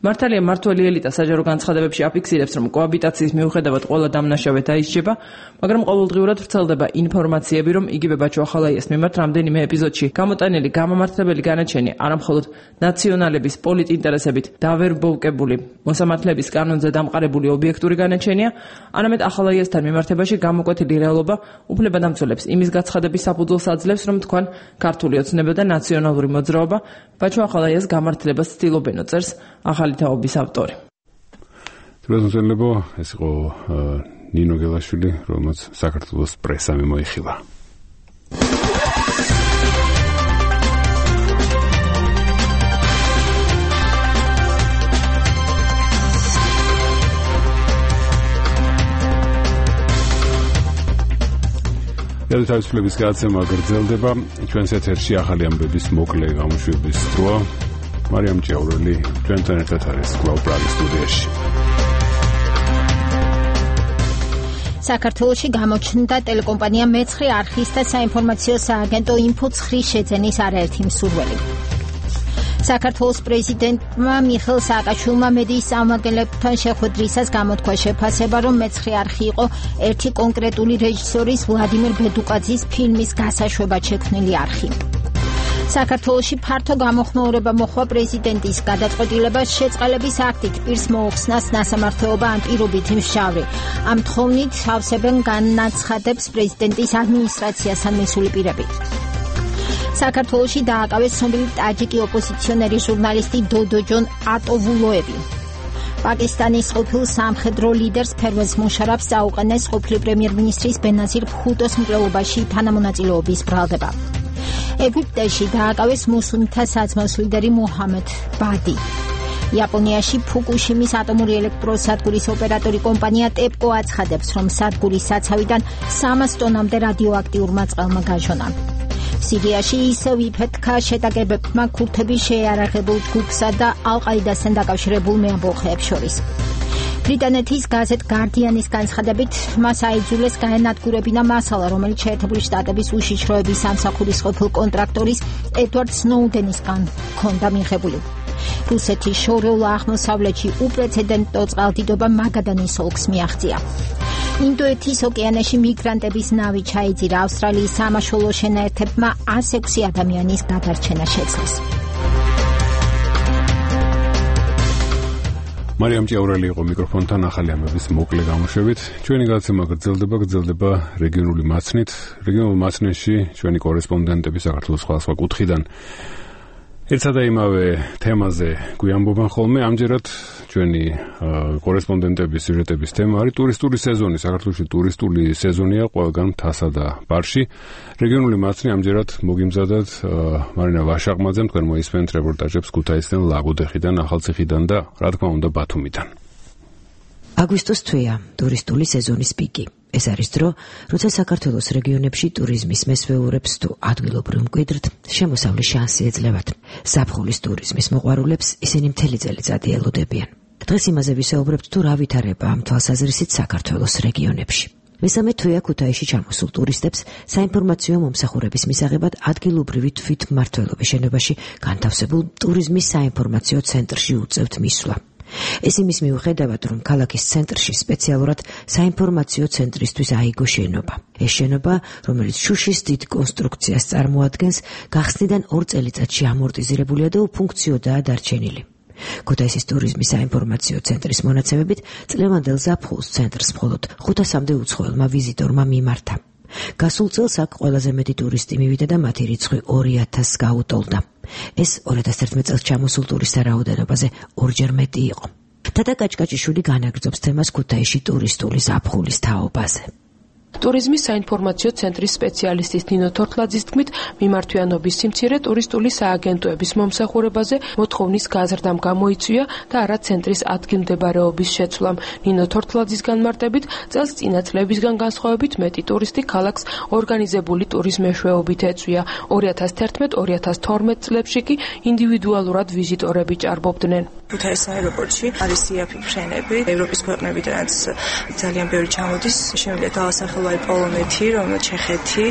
მართალია მართველი ელიტა საჯარო განცხადებებში აფიქსირებს, რომ კოაბიტაციის მიუხედავად ყველა დამნაშავე დაისჯება, მაგრამ ყოველდღიურად ვრცელდება ინფორმაციები, რომ იგივე ბაჩო ახალაიას მიმართ რამდენიმე ეპიზოდში გამოტანილი გამამართლებელი განაჩენი არამხოლოდ ნაციონალების პოლიტინტერესებით დავერბოვკებული მოსამართლეების კანონზე დამყარებული ობიექტური განაჩენია, არამედ ახალაიასთან მიმართებაში გამოკვეთილი რეალობა უფლებადამცველებს იმის გაცხადების საფუძველს აძლევს, რომ თქვენ ქართული ოცნება და ნაციონალური მოძრაობა ბაჩო ახალაიას გამართლებას ცდილობენო, წერს ახალი თაობის ავტორი. თბილისელებო, ეს იყო ნინო გელაშვილი, რომელსაც საქართველოს პრესა მიმოიხილა. თავისუფლების გადაცემა გრძელდება. ჩვენს ეთერში ახალი ამბების მოკლე გამოშვების დროა. მარიამ ჭიაურელი ჩვენთან ერთად არის კვლავ პრაღის სტუდიაში. საქართველოში გამოჩნდა ტელეკომპანია მეცხრე არხის და საინფორმაციო სააგენტო ინფოცხრის შეძენის არაერთი მსურველი. საქართველოს პრეზიდენტმა მიხეილ სააკაშვილმა მედიის წარმომადგენლებთან შეხვედრისას გამოთქვა შეფასება, რომ მეცხრე არხი იყო ერთი კონკრეტული რეჟისორის ვლადიმერ ბედუკაძის ფილმის გასაშვებად შექმნილი არხი. საქართველოში ფართო გამოხმაურება მოხდა პრეზიდენტის გადაწყვეტილებას შეწყალების აქტით პირს მოუხსნას ნასამართლეობა ან პირობითი მჟავრი. ამ თხოვნით ავსებენ განაცხადებს პრეზიდენტის ადმინისტრაციასთან მისული პირები. საქართველოში დააკავეს ცნობილი ტაჯიკი ოპოზიციონერი ჟურნალისტი დოდოჯონ ატოვულოები. პაკისტანის ყოფილ სამხედრო ლიდერს ფერვეზ მუშარაფს აუყენეს ყოფილი პრემიერ-მინისტრის ბენაზირ ბჰუტოს მკვლელობაში თანამონაწილეობის ბრალდება. ეგვიპტეში დააკავეს მუსლიმთა საძმოს ლიდერი მუჰამედ ბადი. იაპონიაში ფუკუშიმის ატომური ელექტროსადგურის ოპერატორი კომპანია ტეპკო აცხადებს, რომ სადგურის საცავიდან 300 ტონამდე რადიოაქტიურმა წყალმა გაჟონა. სირიაში ისევ იფეთქა შეტაკებებმა ქურთების შეიარაღებულ ჯგუფსა და ალ-ყაიდასთან დაკავშირებულ მეამბოხეებს შორის. ბრიტანეთის გაზეთ გარდიანის განცხადებით, მას აიძულეს გაენადგურებინა მასალა, რომელიც შეერთებული შტატების უშიშროების სამსახურის ყოფილ კონტრაქტორის ედვარდ სნოუდენისგან ჰქონდა მიღებული. რუსეთის შორეულ აღმოსავლეთში უპრეცედენტო წყალდიდობა მაგადანის ოლქს მიაღწია. ინდოეთის ოკეანეში მიგრანტების ნავი ჩაიძირა. ავსტრალიის სამაშველო შენაერთებმა 106 ადამიანის გადარჩენა შეძლეს. მარიამ ჭიაურელი იყო მიკროფონთან ახალი ამბების მოკლე გამოშვებით. ჩვენი გადაცემა გრძელდება რეგიონული მაცნით. რეგიონულ მაცნეში ჩვენი კორესპონდენტები საქართველოს სხვადასხვა კუთხიდან ერთსა და იმავე თემაზე გვიამბობენ ხოლმე. ამჯერად ჩვენი კორესპონდენტების სიუჟეტების თემა არის ტურისტული სეზონი. საქართველოში ტურისტული სეზონია ყველგან მთასა და ბარში. რეგიონული მაცნი ამჯერად მოგიმზადათ მარინა ვაშაყმაძემ, თქვენ მოისმენთ რეპორტაჟებს ქუთაისიდან, ლაგოდეხიდან, ახალციხიდან და რა თქმა უნდა ბათუმიდან. აგვისტოს თვეა ტურისტული სეზონის პიკი. ეს არის დრო, როცა საქართველოს რეგიონებში ტურიზმის მესვეურებს თუ ადგილობრივ მკვიდრთ შემოსავლის შანსი ეძლევათ. ზაფხულის ტურიზმის მოყვარულებს ისინი მთელი წელიწადი ელოდებიან. დღეს იმაზე ვისაუბრებთ, თუ რა ვითარება ამ თვალსაზრისით საქართველოს რეგიონებში. მესამე თვეა ქუთაისში ჩამოსულ ტურისტებს საინფორმაციო მომსახურების მისაღებად ადგილობრივი თვითმმართველობის შენობაში განთავსებულ ტურიზმის საინფორმაციო ცენტრში უწევთ მისვლა. ეს იმის მიუხედავად, რომ ქალაქის ცენტრში სპეციალურად საინფორმაციო ცენტრისთვის აიგო შენობა. ეს შენობა, რომელიც შუშის დიდ კონსტრუქციას წარმოადგენს, გახსნიდან 2 წელიწადში ამორტიზირებულია და უფუნქციოდაა დარჩენილი. ქუთაისის ტურიზმის საინფორმაციო ცენტრის მონაცემებით, წლევანდელ ზაფხულს ცენტრს მხოლოდ 500-მდე უცხოელმა ვიზიტორმა მიმართა. გასულ წელს აქ ყველაზე მეტი ტურისტი მივიდა და მათი რიცხვი 2000-ს გაუტოლდა. ეს 2011 წელს ჩამოსულ ტურისტთა რაოდენობაზე 2-ჯერ მეტი იყო. თათა კაჭკაჭიშვილი განაგრძობს თემას ქუთაისში ტურისტული ზაფხულის თაობაზე. ტურიზმის საინფორმაციო ცენტრის სპეციალისტის ნინო თორთლაძის თქმით, მიმართვიანობის სიმცირე ტურისტული სააგენტოების მომსახურებაზე მოთხოვნის გაზრდამ გამოიწვია და არა ცენტრის ადგილმდებარეობის შეცვლამ. ნინო თორთლაძის განმარტებით, წელს წინა წლებისგან განსხვავებით მეტი ტურისტი ქალაქს ორგანიზებული ტურიზმეშვეობით ეწვია. 2011-2012 წლებში კი ინდივიდუალურად ვიზიტორები ჭარბობდნენ. ქუთაისის აეროპორტში არის იაფი ფრენები, ევროპის ქვეყნებიდანაც ძალიან ბევრი ჩამოდის, შემიძლია დავასახელო პოლონეთი, რომელიც ჩეხეთი,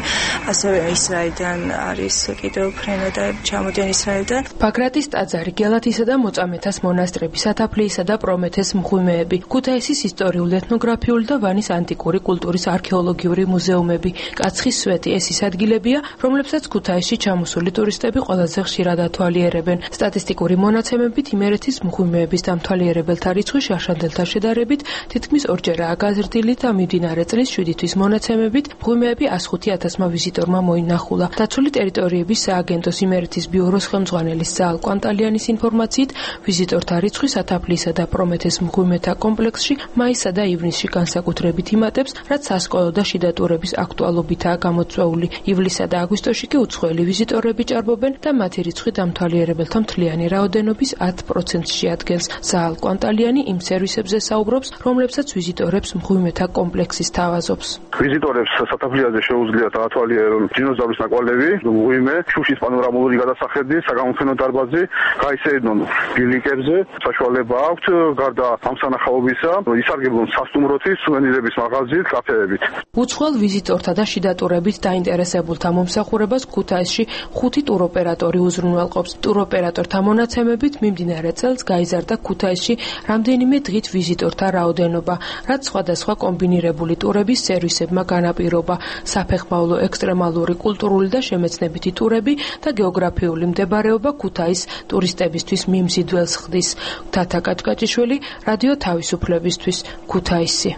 ასევე ისრაელიდან არის კიდევ ფრენა და ჩამოდიან ისრაელიდან. ბაგრატის ტაძარი, გელათისა და მოწამეთას მონასტრები, სათაფლიისა და პრომეთეს მღვიმეები, ქუთაისის ისტორიული, ეთნოგრაფიული და ვანის ანტიკური კულტურის არქეოლოგიური მუზეუმები, კაცხის სვეტი ეს ის ადგილებია, რომლებსაც ქუთაისში ჩამოსული ტურისტები ყველაზე ხშირად ათვალიერებენ. სტატისტიკური მონაცემებით იმერეთის მღვიმეების დამთვალიერებელთა რიცხვი შაშანდელთა შედარებით თითქმის 2-ჯერაა გაზრდილი და მიმდინარე წლის 7 თვის მონაცემებით მღვიმეები 105,000-მა ვიზიტორმა მოინახულა. დაცული ტერიტორიების სააგენტოს იმერეთის ბიუროს ხელმძღვანელის ზაალ კვანტალიანის ინფორმაციით, ვიზიტორთა რიცხვი სათაფლიისა და პრომეთეს მღვიმეთა კომპლექსში მაისსა და ივნისში განსაკუთრებით იმატებს, რაც სასკოლო და შიდა ტურების აქტუალობითაა გამოწვეული. ივლისსა და აგვისტოში კი უცხოელი ვიზიტორები ჭარბობენ და მათი რიცხვი დამთვალიერებელთა მთლიანი რაოდენობის 10%-ში ადგენს. ზაალ კვანტალიანი იმ სერვისებზე საუბრობს, რომლებსაც ვიზიტორებს მღვიმეთა კომპლექსი სთავაზობს. ვიზიტორებს სათაფლიაზე შეუძლიათ ათვალიერონ დინოზავრის ნაკვალევი, მღვიმე, შუშის პანორამული გადასახედი, საგამოფენო დარბაზი, გაისერნონ ბილიკებზე. საშუალება აქვთ გარდა ამ სანახაობისა, ისარგებლონ სასტუმროთი, სუვენირების მაღაზიით, კაფეებით. უცხოელ ვიზიტორთა და შიდა ტურებით დაინტერესებულთა მომსახურებას ქუთაისში 5 ტუროპერატორი უზრუნველყოფს. ტუროპერატორთა მონაცემებით მიმდინარე წელს გაიზარდა ქუთაისში რამდენიმე დღით ვიზიტორთა რაოდენობა, რაც სხვადასხვა კომბინირებული ტურების სერვისებმა განაპირობა. საფეხმავლო, ექსტრემალური, კულტურული და შემეცნებითი ტურები და გეოგრაფიული მდებარეობა ქუთაის ტურისტებისთვის მიმზიდველს ხდის. თათა კაჭკაჭიშვილი, რადიო თავისუფლებისთვის, ქუთაისი.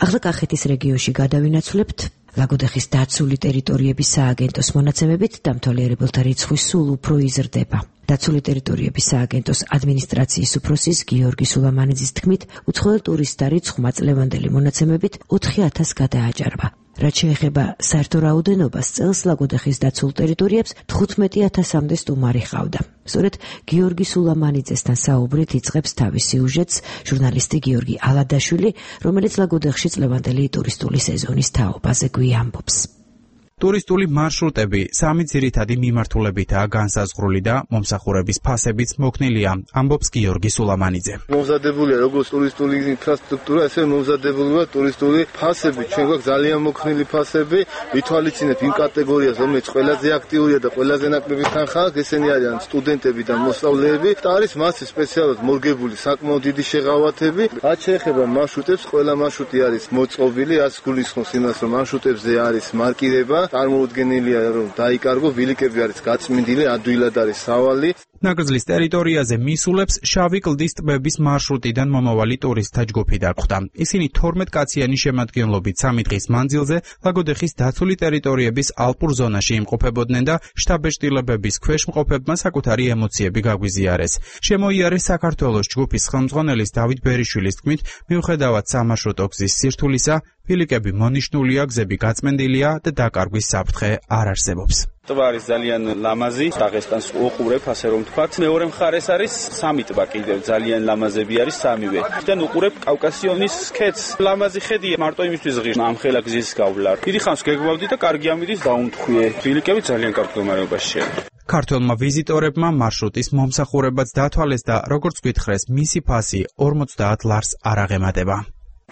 ახლა კახეთის რეგიონში გადავინაცვლებთ ლაგოდეხის დაცული ტერიტორიების სააგენტოს მონაცემებით დამთვალიერებელთა რიცხვი სულ უფრო იზრდება. დაცული ტერიტორიების სააგენტოს ადმინისტრაციის უფროსის გიორგი სულამანიძის თქმით, უცხოელ ტურისტთა რიცხვმა წლევანდელი მონაცემებით 4000 გადააჭარბა. რაც შეეხება საერთო რაოდენობას, წელს ლაგოდეხის დაცულ ტერიტორიებს 15000-მდე სტუმარი ჰყავდა. სწორედ გიორგი სულამანიძესთან საუბრით იწყებს თავის სიუჟეტს ჟურნალისტი გიორგი ალადაშვილი, რომელიც ლაგოდეხში წლევანდელი ტურისტული სეზონის თაობაზე გვიამბობს. ტურისტული მარშრუტები სამი ძირითადი მიმართულებითაა განსაზღვრული და მომსახურების ფასებიც მოქნილია, ამბობს გიორგი სულამანიძე. მომზადებულია როგორც ტურისტული ინფრასტრუქტურა, ესე მომზადებულია ტურისტული ფასები. ჩვენ გვაქვს ძალიან მოქნილი ფასები, ვითვალისწინეთ იმ კატეგორიას, რომელიც ყველაზე აქტიურია და ყველაზე ნაკლები თანხაა, ესენი არიან სტუდენტები და მოსწავლეები. და არის მასზე სპეციალურად მორგებული საკმაოდ დიდი შეღავათები. რაც შეეხება მარშრუტებს, ყველა მარშრუტი არის მოწყობილი, რაც გულისხმობს იმას, რომ მარშრუტებზე არის მარკირება. წარმოუდგენელია რომ დაიკარგო, ბილიკები არის გაწმინდილი, ადვილად არის სავალი. ნაკრძლის ტერიტორიაზე მისულებს შავი კლდის ტბების მარშრუტიდან მომავალი ტურისტთა ჯგუფი დაგხვდა. ისინი 12 კაციანი შემადგენლობით 3 დღის მანძილზე ლაგოდეხის დაცული ტერიტორიების ალპურ ზონაში იმყოფებოდნენ და შტაბ-ეშტილებების ქვეშ მყოფებმა საკუთარი ემოციები გაგვიზიარეს. შემოიარეს საქართველოს ჯგუფის ხელმძღვანელის დავით ბერიშვილის თქმით, მიუხედავად სამარშრუტო გზის სირთულისა, ბილიკები მონიშნულია, გზები გაწმენდილია და დაკარგვის საფრთხე არ არსებობს. ტბა არის ძალიან ლამაზი, დაღესტანს უყურებ, ასე რომ ვთქვათ. მეორე მხარეს არის სამი ტბა კიდევ, ძალიან ლამაზები არის სამივე. და უყურებ კავკასიონის ქედს. ლამაზი ხედია, მარტო იმისთვის ღირს ამ ხელა გზის გავლა. დიდი ხანს გეგმავდი და კარგი ამიდის დაუმთხვიე. ბილიკები ძალიან კარგ მდგომარეობაშია. ქართველმა ვიზიტორებმა მარშრუტის მომსახურებაც დათვალეს და როგორც გითხრეს, მისი ფასი 50 ლარს არ აღემატება.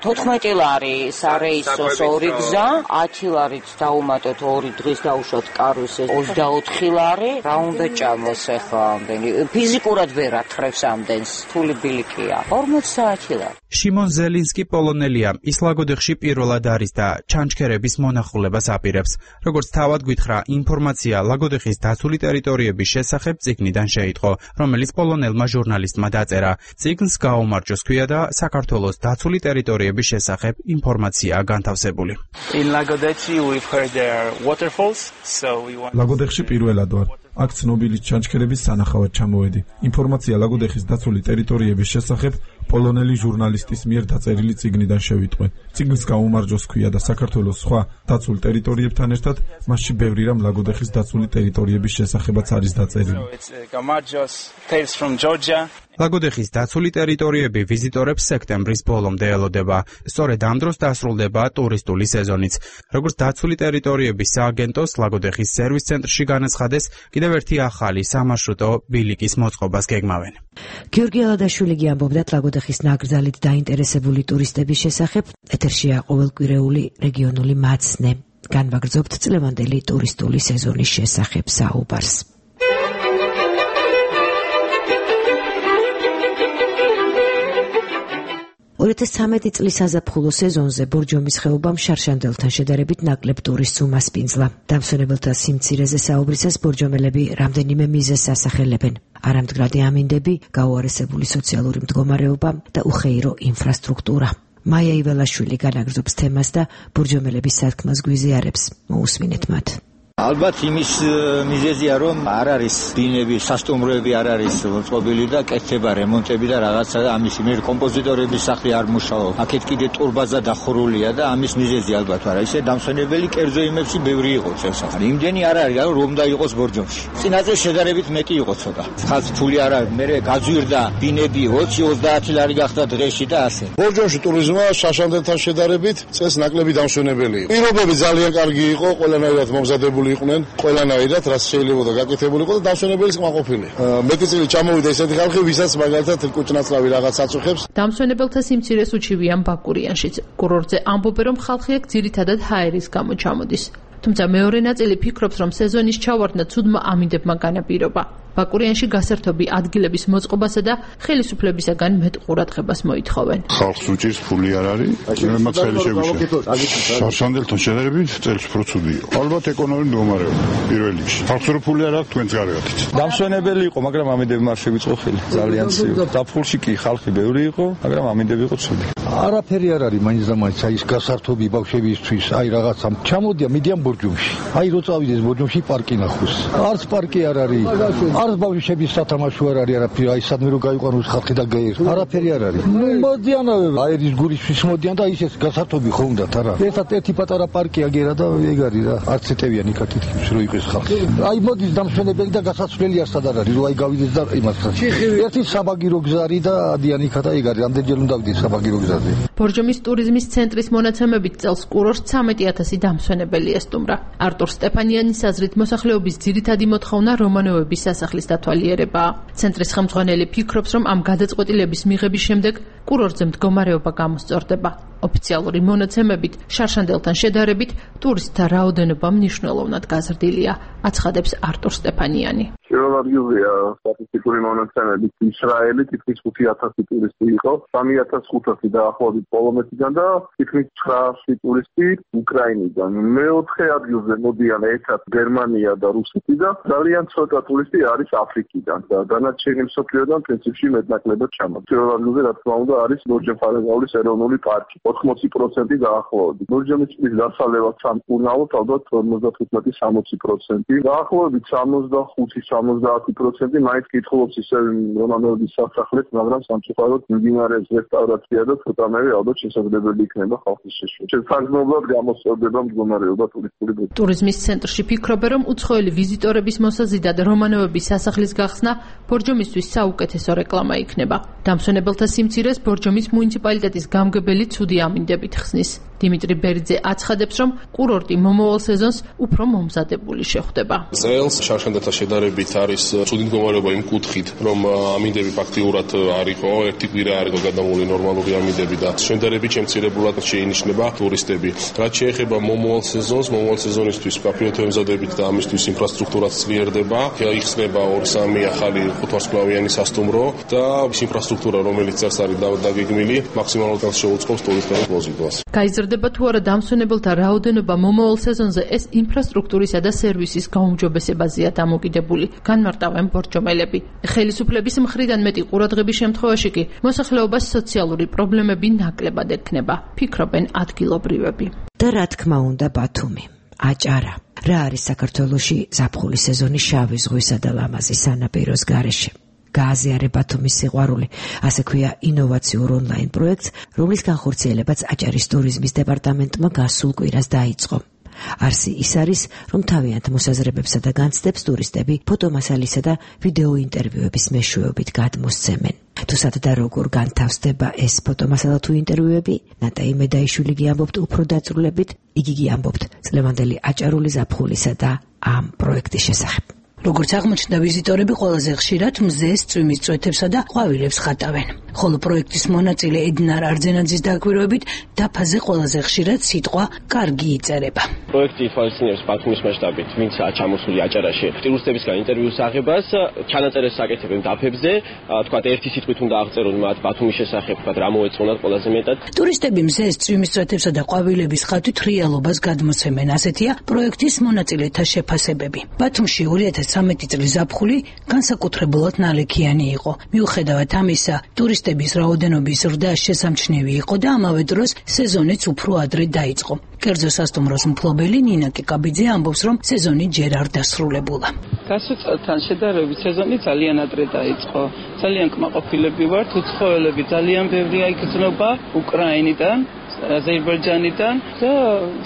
14 ლარი სარეისოს 2 გზა, 10 ლარით დაუმატოთ 2 დღის დაუშვათ კარვისეს 24 ლარი, რა უნდა ჭამოს ახლა ამდენი. ფიზიკურად ვერ ათრევს ამდენს, თული ბილიკია. 50 ლარი. შიმონ ზელინსკი პოლონელია, ის ლაგოდეხში პირველად არის და ჩანჩქერების მონახულებას აპირებს. როგორც თავად გითხრა, ინფორმაცია ლაგოდეხის დაცული ტერიტორიების შესახებ წიგნიდან შეიტყო, რომელიც პოლონელმა ჟურნალისტმა დაწერა. წიგნს გაუმარჯოს ქვია და საქართველოს დაცული ტერიტორიების შესახებ ინფორმაციაა განთავსებული. ლაგოდეხში პირველად ვარ. აქ ცნობილი ჩანჩქერების სანახავად ჩამოვედი. ინფორმაცია ლაგოდეხის დაცული ტერიტორიების შესახებ პოლონელი ჟურნალისტის მიერ დაწერილი წიგნიდან შევიტყვე. წიგნს გაუმარჯოს ქვია და საქართველოს სხვა დაცულ ტერიტორიებთან ერთად მასში ბევრი რამ ლაგოდეხის დაცული ტერიტორიების შესახებაც არის დაწერილი. ლაგოდეხის დაცული ტერიტორიები ვიზიტორებს სექტემბრის ბოლომდე ელოდება. სწორედ ამ დროს დასრულდება ტურისტული სეზონიც. როგორც დაცული ტერიტორიების სააგენტოს ლაგოდეხის სერვის ცენტრში განაცხადეს, კიდევ ერთი ახალი სამარშრუტო ბილიკის მოწყობას გეგმავენ. გიორგი ალადაშვილი ამბობდა ლაგოდეხის ნაკრძალით დაინტერესებული ტურისტების შესახებ. ეთერშია ყოველკვირეული რეგიონული მაცნე. განვაგრძობთ წლევანდელი ტურისტული სეზონის შესახებ საუბარს. 2013 წლის საზაფხულო სეზონზე ბორჯომის ხეობამ შარშანდელთან შედარებით ნაკლებ ტურისტს უმასპინძლა. დამსვენებელთა სიმცირეზე საუბრისას ბორჯომელები რამდენიმე მიზეზს ასახელებენ. არამდგრადი ამინდები, გაუარესებული სოციალური მდგომარეობა და უხეირო ინფრასტრუქტურა. მაია იველაშვილი განაგრძობს თემას და ბორჯომელების სათქმას გვიზიარებს. მოусმინეთ მათ. ალბათ იმის მიზეზია რომ არ არის ბინები, სასტუმროები არ არის მოწყობილი და კეთდება რემონტები და რაღაცა და ამის მიერ კომპოზიტორების სახლი არ მუშაობს. აქეთ კიდე ტურბაზა დახურულია და ამის მიზეზი ალბათ არა. ისე დამსვენებელი კერძო იმებში ბევრი იყო წელს. იმდენი არ არის რომ დაიყოს ბორჯომში. წინაზე შედარებით მეტი იყო ცოტა. ხალხ ფული არ არის, მე გაძვირდა ბინები 20-30 ლარი გახდა დღეში და ასე. ბორჯომში ტურიზმმა შაშანდელთან შედარებით წელს ნაკლები დამსვენებელი იყო. პირობები ძალიან კარგი იყო, ყველანაირად მომზადებული იყვნენ, ყველანაირად რაც შეიძლება და გაკეთებულიყო და დამსვენებელის კმაყოფილი. მეტი წილი ჩამოვიდა ესეთი ხალხი, ვისაც მაგალითად კუჭნაცლავი რაღაც აწუხებს. დამსვენებელთა სიმცირეს უჩივიან ბაკურიანშიც. კურორტზე ამბობენ, რომ ხალხი აქ ძირითადად ჰაერის გამო ჩამოდის. თუმცა მეორე ნაწილი ფიქრობს, რომ სეზონის ჩავარდნა ცუდმა ამინდებმა განაპირობა. ბაკურიანში გასართობი ადგილების მოწყობასა და ხელისუფლებისაგან მეტ ყურადღებას მოითხოვენ. ხალხს უჭირს ფული არ არის, მეც ხელი შეგვიშა. შარშანდელთან შედარებით წელს უფრო ცუდი იყო. ალბათ ეკონომიკური მდგომარეობა პირველ რიგში. ხალხს რო ფული არ აქვს, თქვენც გარევათით. დამსვენებელი იყო, მაგრამ ამინდები არ შეგვიწყო ხელი. ძალიან ცივი. დაფხულში კი ხალხი ბევრი იყო, მაგრამ ამინდები იყო ცუდი. არაფერი არ არის მაინც და მაინც აი ეს გასართობი ბავშვებისთვის, აი რაღაცა ჩამოდიან, მიდიან ბორჯომში. აი რო წავიდეს ბორჯომში პარკი ნახოს. არც პარკი არ არის. არც ბავშვების სათამაშო არ არის არაფერი, აი სადმე რო გაიყვანოს ხალხი და გაიერთო. არაფერი არ არის. მოდიან აერის გურისთვის მოდიან და ისეს გასართობი ხო უნდათ არა. ერთად ერთი პატარა პარკი აგერა და ეგ არის რა. არც ეტევიანი კაკითხებს რო იყოს ხალხი. აი მოდის დამსვენებელი და გასაცვლელი არ სადარ არის, რო აი გავიდეს და იმასთან. ერთი საბაგირო გზა არის და ადიანიქა და ეგ არის. ამდენჯერ უნდა ვიდეს საბაგირო გზაზე. ბორჯომის ტურიზმის ცენტრის მონაცემებით წელს კურორტს 13,000 დამსვენებელი ესტუმრა. არტურ სტეფანიანის აზრით მოსახლეობის ძირითადი მოთხოვნა რომანოვების სასახლის დათვალიერებაა. ცენტრის ხელმძღვანელი ფიქრობს, რომ ამ გადაწყვეტილების მიღების შემდეგ კურორტზე მდგომარეობა გამოსწორდება. ოფიციალური მონაცემებით შარშანდელთან შედარებით ტურისტთა რაოდენობა მნიშვნელოვნად გაზრდილია, აცხადებს არტურ სტეფანიანი. პირველ ადგილზეა სტატისტიკური მონაცემებით ისრაელი თითქმის 5,000 ტურისტი იყო, 3,500 დაახლოებით პოლონეთიდან და თითქმის 900 ტურისტი უკრაინიდან. მეოთხე ადგილზე მოდიან ერთად გერმანია და რუსეთი და ძალიან ცოტა ტურისტი არის აფრიკიდან და დანარჩენი მსოფლიოდან პრინციპში მეტნაკლებად ჩამოდის. პირველ ადგილზე რა თქმა უნდა არის ბორჯომ-ხარაგაულის ეროვნული პარკი. 80% დაახლოებით. ბორჯომის წყლის დასალევად სამკურნალოდ ალბათ 55-60%. დაახლოებით 65-70% მაინც კითხულობს ისე რომანოვების სასახლეს, მაგრამ სამწუხაროდ მიმდინარეობს რესტავრაცია და ცოტანაირი ალბათ შესაძლებელი იქნება ხალხის შეშვა. შესაძლებლად გამოსწორდება მდგომარეობა ტურისტული ბურთი. ტურიზმის ცენტრში ფიქრობენ, რომ უცხოელი ვიზიტორების მოსაზიდად რომანოვების სასახლის გახსნა ბორჯომისთვის საუკეთესო რეკლამა იქნება. დამსვენებელთა სიმცირეს ბორჯომის მუნიციპალიტეტის გამგებელი ცუდი ამინდებით ხსნის. დიმიტრი ბერიძე აცხადებს, რომ კურორტი მომავალ სეზონს უფრო მომზადებული შეხვდება. წელს შარშანდელთან შედარებით არის ცუდი მდგომარეობა იმ კუთხით, რომ ამინდები ფაქტიურად არ იყო, ერთი კვირა არ იყო გადამული ნორმალური ამინდები და შედარებით შემცირებულად შეინიშნება ტურისტები. რაც შეეხება მომავალ სეზონისთვის კაფეოთე ემზადებით და ამისთვის ინფრასტრუქტურაც ძლიერდება, იხსნება 2-3 ახალი ხუთვარსკვლავიანი სასტუმრო და ის ინფრასტრუქტურა, რომელიც წელს არის დაგეგმილი, მაქსიმალურად შეუწყობს ტურისტების მოზიდვას. გაიზრდება თუ არა დამსვენებელთა რაოდენობა მომავალ სეზონზე, ეს ინფრასტრუქტურისა და სერვისის გაუმჯობესებაზეა დამოკიდებული, განმარტავენ ბორჯომელები. ხელისუფლების მხრიდან მეტი ყურადღების შემთხვევაში კი მოსახლეობას სოციალური პრობლემები ნაკლებად ექნება, ფიქრობენ ადგილობრივები. და რა თქმა უნდა ბათუმი, აჭარა. რა არის საქართველოში ზაფხულის სეზონის შავი ზღვისა და ლამაზის სანაპიროს გარეშე? გააზიარე ბათუმის სიყვარული, ასე ქვია ინოვაციურ ონლაინ პროექტს, რომლის განხორციელებაც აჭარის ტურიზმის დეპარტამენტმა გასულ კვირას დაიწყო. არსი ის არის, რომ თავიანთ მოსაზრებებსა და განცდებს ტურისტები ფოტომასალისა და ვიდეო ინტერვიუების მეშვეობით გადმოსცემენ. თუსად და როგორ განთავსდება ეს ფოტომასალა თუ ინტერვიუები, ნატაი მედაიშვილი გიამბობთ უფრო დაწვრილებით, იგი გიამბობთ წლევანდელი აჭარული ზაფხულისა და ამ პროექტის შესახებ. როგორც აღმოჩნდა, ვიზიტორები ყველაზე ხშირად მზეს, წვიმის წვეთებსა და ყვავილებს ხატავენ. ხოლო პროექტის მონაწილე ედინარ არძენაძის დაკვირვებით, დაფაზე ყველაზე ხშირად სიტყვა კარგი იწერება. პროექტი ითვალისწინებს ბათუმის მასშტაბით, ვინცაა ჩამოსული აჭარაში, ტურისტებისგან ინტერვიუს აღებას, ჩანაწერებს აკეთებენ დაფებზე, თქვათ ერთი სიტყვით უნდა აღწერონ მათ ბათუმის შესახებ, თქვათ რა მოეწონათ ყველაზე მეტად. ტურისტები მზეს, წვიმის წვეთებსა და ყვავილების ხატვით რეალობას გადმოცემენ, ასეთია პროექტის მონაწილეთა შეფასებები. ბათუმში 2013 წლის ზაფხული განსაკუთრებულად ნალექიანი იყო. მიუხედავად ამისა, ტურისტების რაოდენობის ზრდა შესამჩნევი იყო და ამავე დროს სეზონიც უფრო ადრე დაიწყო. კერძო სასტუმროს მფლობელი ნინა კიკაბიძე ამბობს, რომ სეზონი ჯერ არ დასრულებულა. გასულ წელთან შედარებით სეზონი ძალიან ადრე დაიწყო. ძალიან კმაყოფილები ვართ, უცხოელები ძალიან ბევრია იგრძნობა უკრაინიდან, აზერბაიჯანიდან და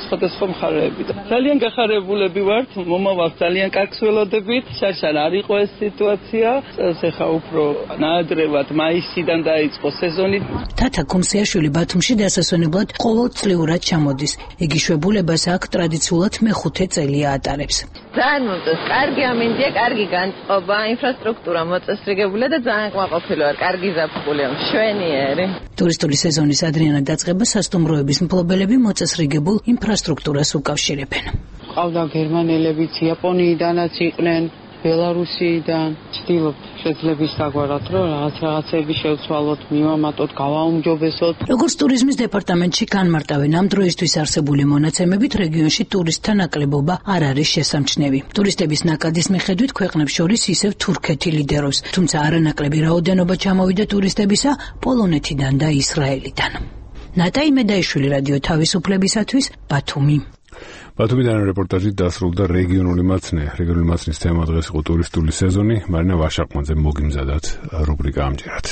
სხვადასხვა მხარეებიდან. ძალიან გახარებულები ვართ, მომავალ ძალიან კარგს ველოდებით. შარშან არ იყო ეს სიტუაცია. წელს ახლა უფრო ნაადრევად მაისიდან დაიწყო სეზონი. თათა ქუმსიაშვილი ბათუმში დასასვენებლად ყოველწლიურად ჩამოდის. იგი შვებულებას აქ ტრადიციულად მეხუთე წელია ატარებს. ძალიან მომწონს, კარგი ამინდია, კარგი განწყობა, ინფრასტრუქტურა მოწესრიგებულია და ძალიან კმაყოფილი ვარ, კარგი ზაფხულია, მშვენიერი. ტურისტული სეზონის ადრიანად დაწყება სასტუმროების მფლობელები მოწესრიგებულ ინფრასტრუქტურას უკავშირებენ. ყავდა გერმანელებიც, იაპონიიდანაც იყვნენ, ბელარუსიდან ვცდილობ შეძლების დაგვარად, რომ რაღაცები შევცვალოთ, მივამატოთ, გავაუმჯობესოთ. როგორც ტურიზმის დეპარტამენტში განმარტავენ, ამ დროისთვის არსებული მონაცემებით რეგიონში ტურისტთა ნაკლებობა არ არის შესამჩნევი. ტურისტების ნაკადის მიხედვით ქვეყნებს შორის ისევ თურქეთი ლიდერობს, თუმცა არანაკლები რაოდენობა ჩამოვიდა ტურისტებისა პოლონეთიდან და ისრაელიდან. ნატაი მედაიშვილი, რადიო თავისუფლებისათვის, ბათუმი. ბათუმიდან რეპორტაჟი დასრულდა რეგიონული მაცნის თემა დღეს იყო ტურისტული სეზონი. მარინა ვაშაყმაძე მოგიმზადათ რუბრიკა ამჯერად.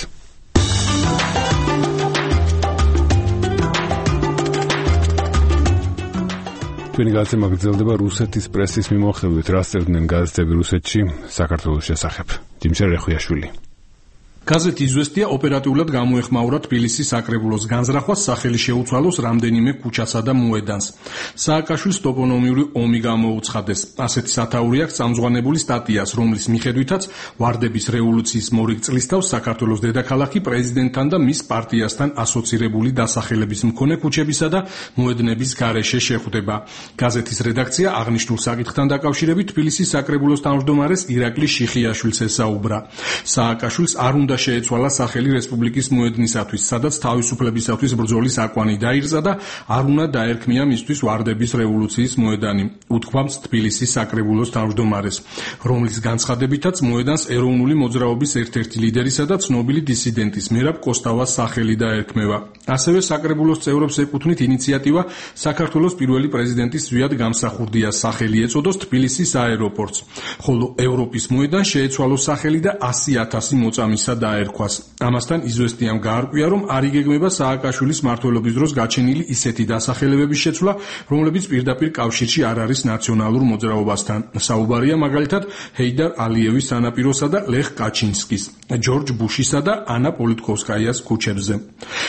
თქვენი გაცემა გრძელდება რუსეთის პრესის მიმოხილვით, რას წერდნენ გაზეთები რუსეთში საქართველოს შესახებ. დიმშა რეხვიაშვილი. გაზეთი „იზვესტია“ ოპერატიულად გამოეხმაურა თბილისის საკრებულოს განზრახვას, სახელი შეუცვალოს რამდენიმე ქუჩასა და მოედანს. სააკაშვილის ტოპონიმიური ომი გამოუცხადეს. ასეთი სათაური აქვს წამზღვანებული სტატიას, რომლის მიხედვითაც ვარდების რევოლუციის მორიგ წლისთავს საქართველოს დედაქალაქი პრეზიდენტთან და მის პარტიასთან ასოცირებული დასახელების მქონე ქუჩებისა და მოედნების გარეშე შეხვდება. გაზეთის რედაქცია აღნიშნულ საკითხთან დაკავშირებით თბილისის საკრებულოს თავმჯდომარეს ირაკლი შიხიაშვილს ესაუბრა. სააკაშვილს არ უნდა შეეცვალა სახელი რესპუბლიკის მოედნისათვის, სადაც თავისუფლებისათვის ბრძოლის აკვანი დაირწა და არ უნდა დაერქმია მისთვის ვარდების რევოლუციის მოედანი, უთქვამს თბილისის საკრებულოს თავმჯდომარეს, რომლის განცხადებითაც მოედანს ეროვნული მოძრაობის ერთ-ერთი ლიდერისა და ცნობილი დისიდენტის მერაბ კოსტავას სახელი დაერქმევა. ასევე საკრებულოს წევრებს ეკუთვნით ინიციატივა საქართველოს პირველი პრეზიდენტის ზვიად გამსახურდიას სახელი ეწოდოს თბილისის აეროპორტს, ხოლო ევროპის მოედანს შეეცვალოს სახელი და 100,000 მოწამისა დაერქვას. ამასთან „იზვესტიამ“ გაარკვია, რომ არ იგეგმება სააკაშვილის მმართველობის დროს გაჩენილი ისეთი დასახელებების შეცვლა, რომლებიც პირდაპირ კავშირში არ არის ნაციონალურ მოძრაობასთან. საუბარია მაგალითად ჰეიდარ ალიევის სანაპიროსა და ლეხ კაჩინსკის, ჯორჯ ბუშისა და ანა პოლიტკოვსკაიას ქუჩებზე.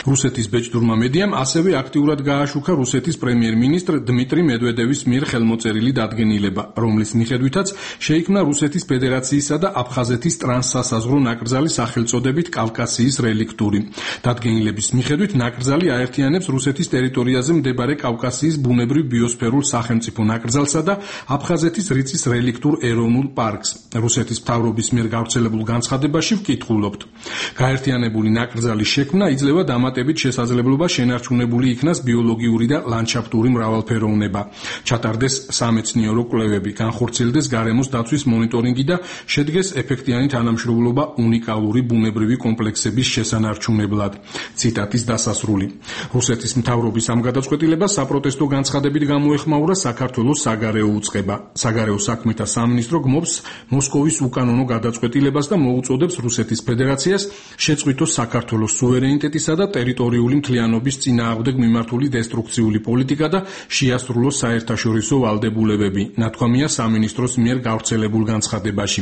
რუსეთის ბეჭდურმა მედიამ ასევე აქტიურად გააშუქა რუსეთის პრემიერ-მინისტრ დმიტრი მედვედევის მიერ ხელმოწერილი დადგენილება, რომლის მიხედვითაც შეიქმნა რუსეთის ფედერაციისა და აფხაზეთის ტრანსსასაზღვრო ნაკრძალი სახელწოდებით კავკასიის რელიქტური. დადგენილების მიხედვით ნაკრძალი აერთიანებს რუსეთის ტერიტორიაზე მდებარე კავკასიის ბუნებრივ ბიოსფერულ სახელმწიფო ნაკრძალსა და აფხაზეთის რიწის რელიქტურ ეროვნულ პარკს. რუსეთის მთავრობის მიერ გავრცელებულ განცხადებაში ვკითხულობთ. გაერთიანებული ნაკრძალის შექმნა იძლევა დამატებით შესაძლებლობა შენარჩუნებული იქნას ბიოლოგიური და ლანდშაფტური მრავალფეროვნება, ჩატარდეს სამეცნიერო კვლევები, განხორციელდეს გარემოს დაცვის მონიტორინგი და შედგეს ეფექტიანი თანამშრომლობა უნიკალური ბუნებრივი კომპლექსების შესანარჩუნებლად. ციტატის დასასრული. რუსეთის მთავრობის ამ გადაწყვეტილებას საპროტესტო განცხადებით გამოეხმაურა საქართველოს საგარეო უწყება. საგარეო საქმეთა სამინისტრო გმობს მოსკოვის უკანონო გადაწყვეტილებას და მოუწოდებს რუსეთის ფედერაციას შეწყვიტოს საქართველოს სუვერენიტეტისა და ტერიტორიული მთლიანობის წინააღმდეგ მიმართული დესტრუქციული პოლიტიკა და შეასრულოს საერთაშორისო ვალდებულებები, ნათქვამია სამინისტროს მიერ გავრცელებულ განცხადებაში.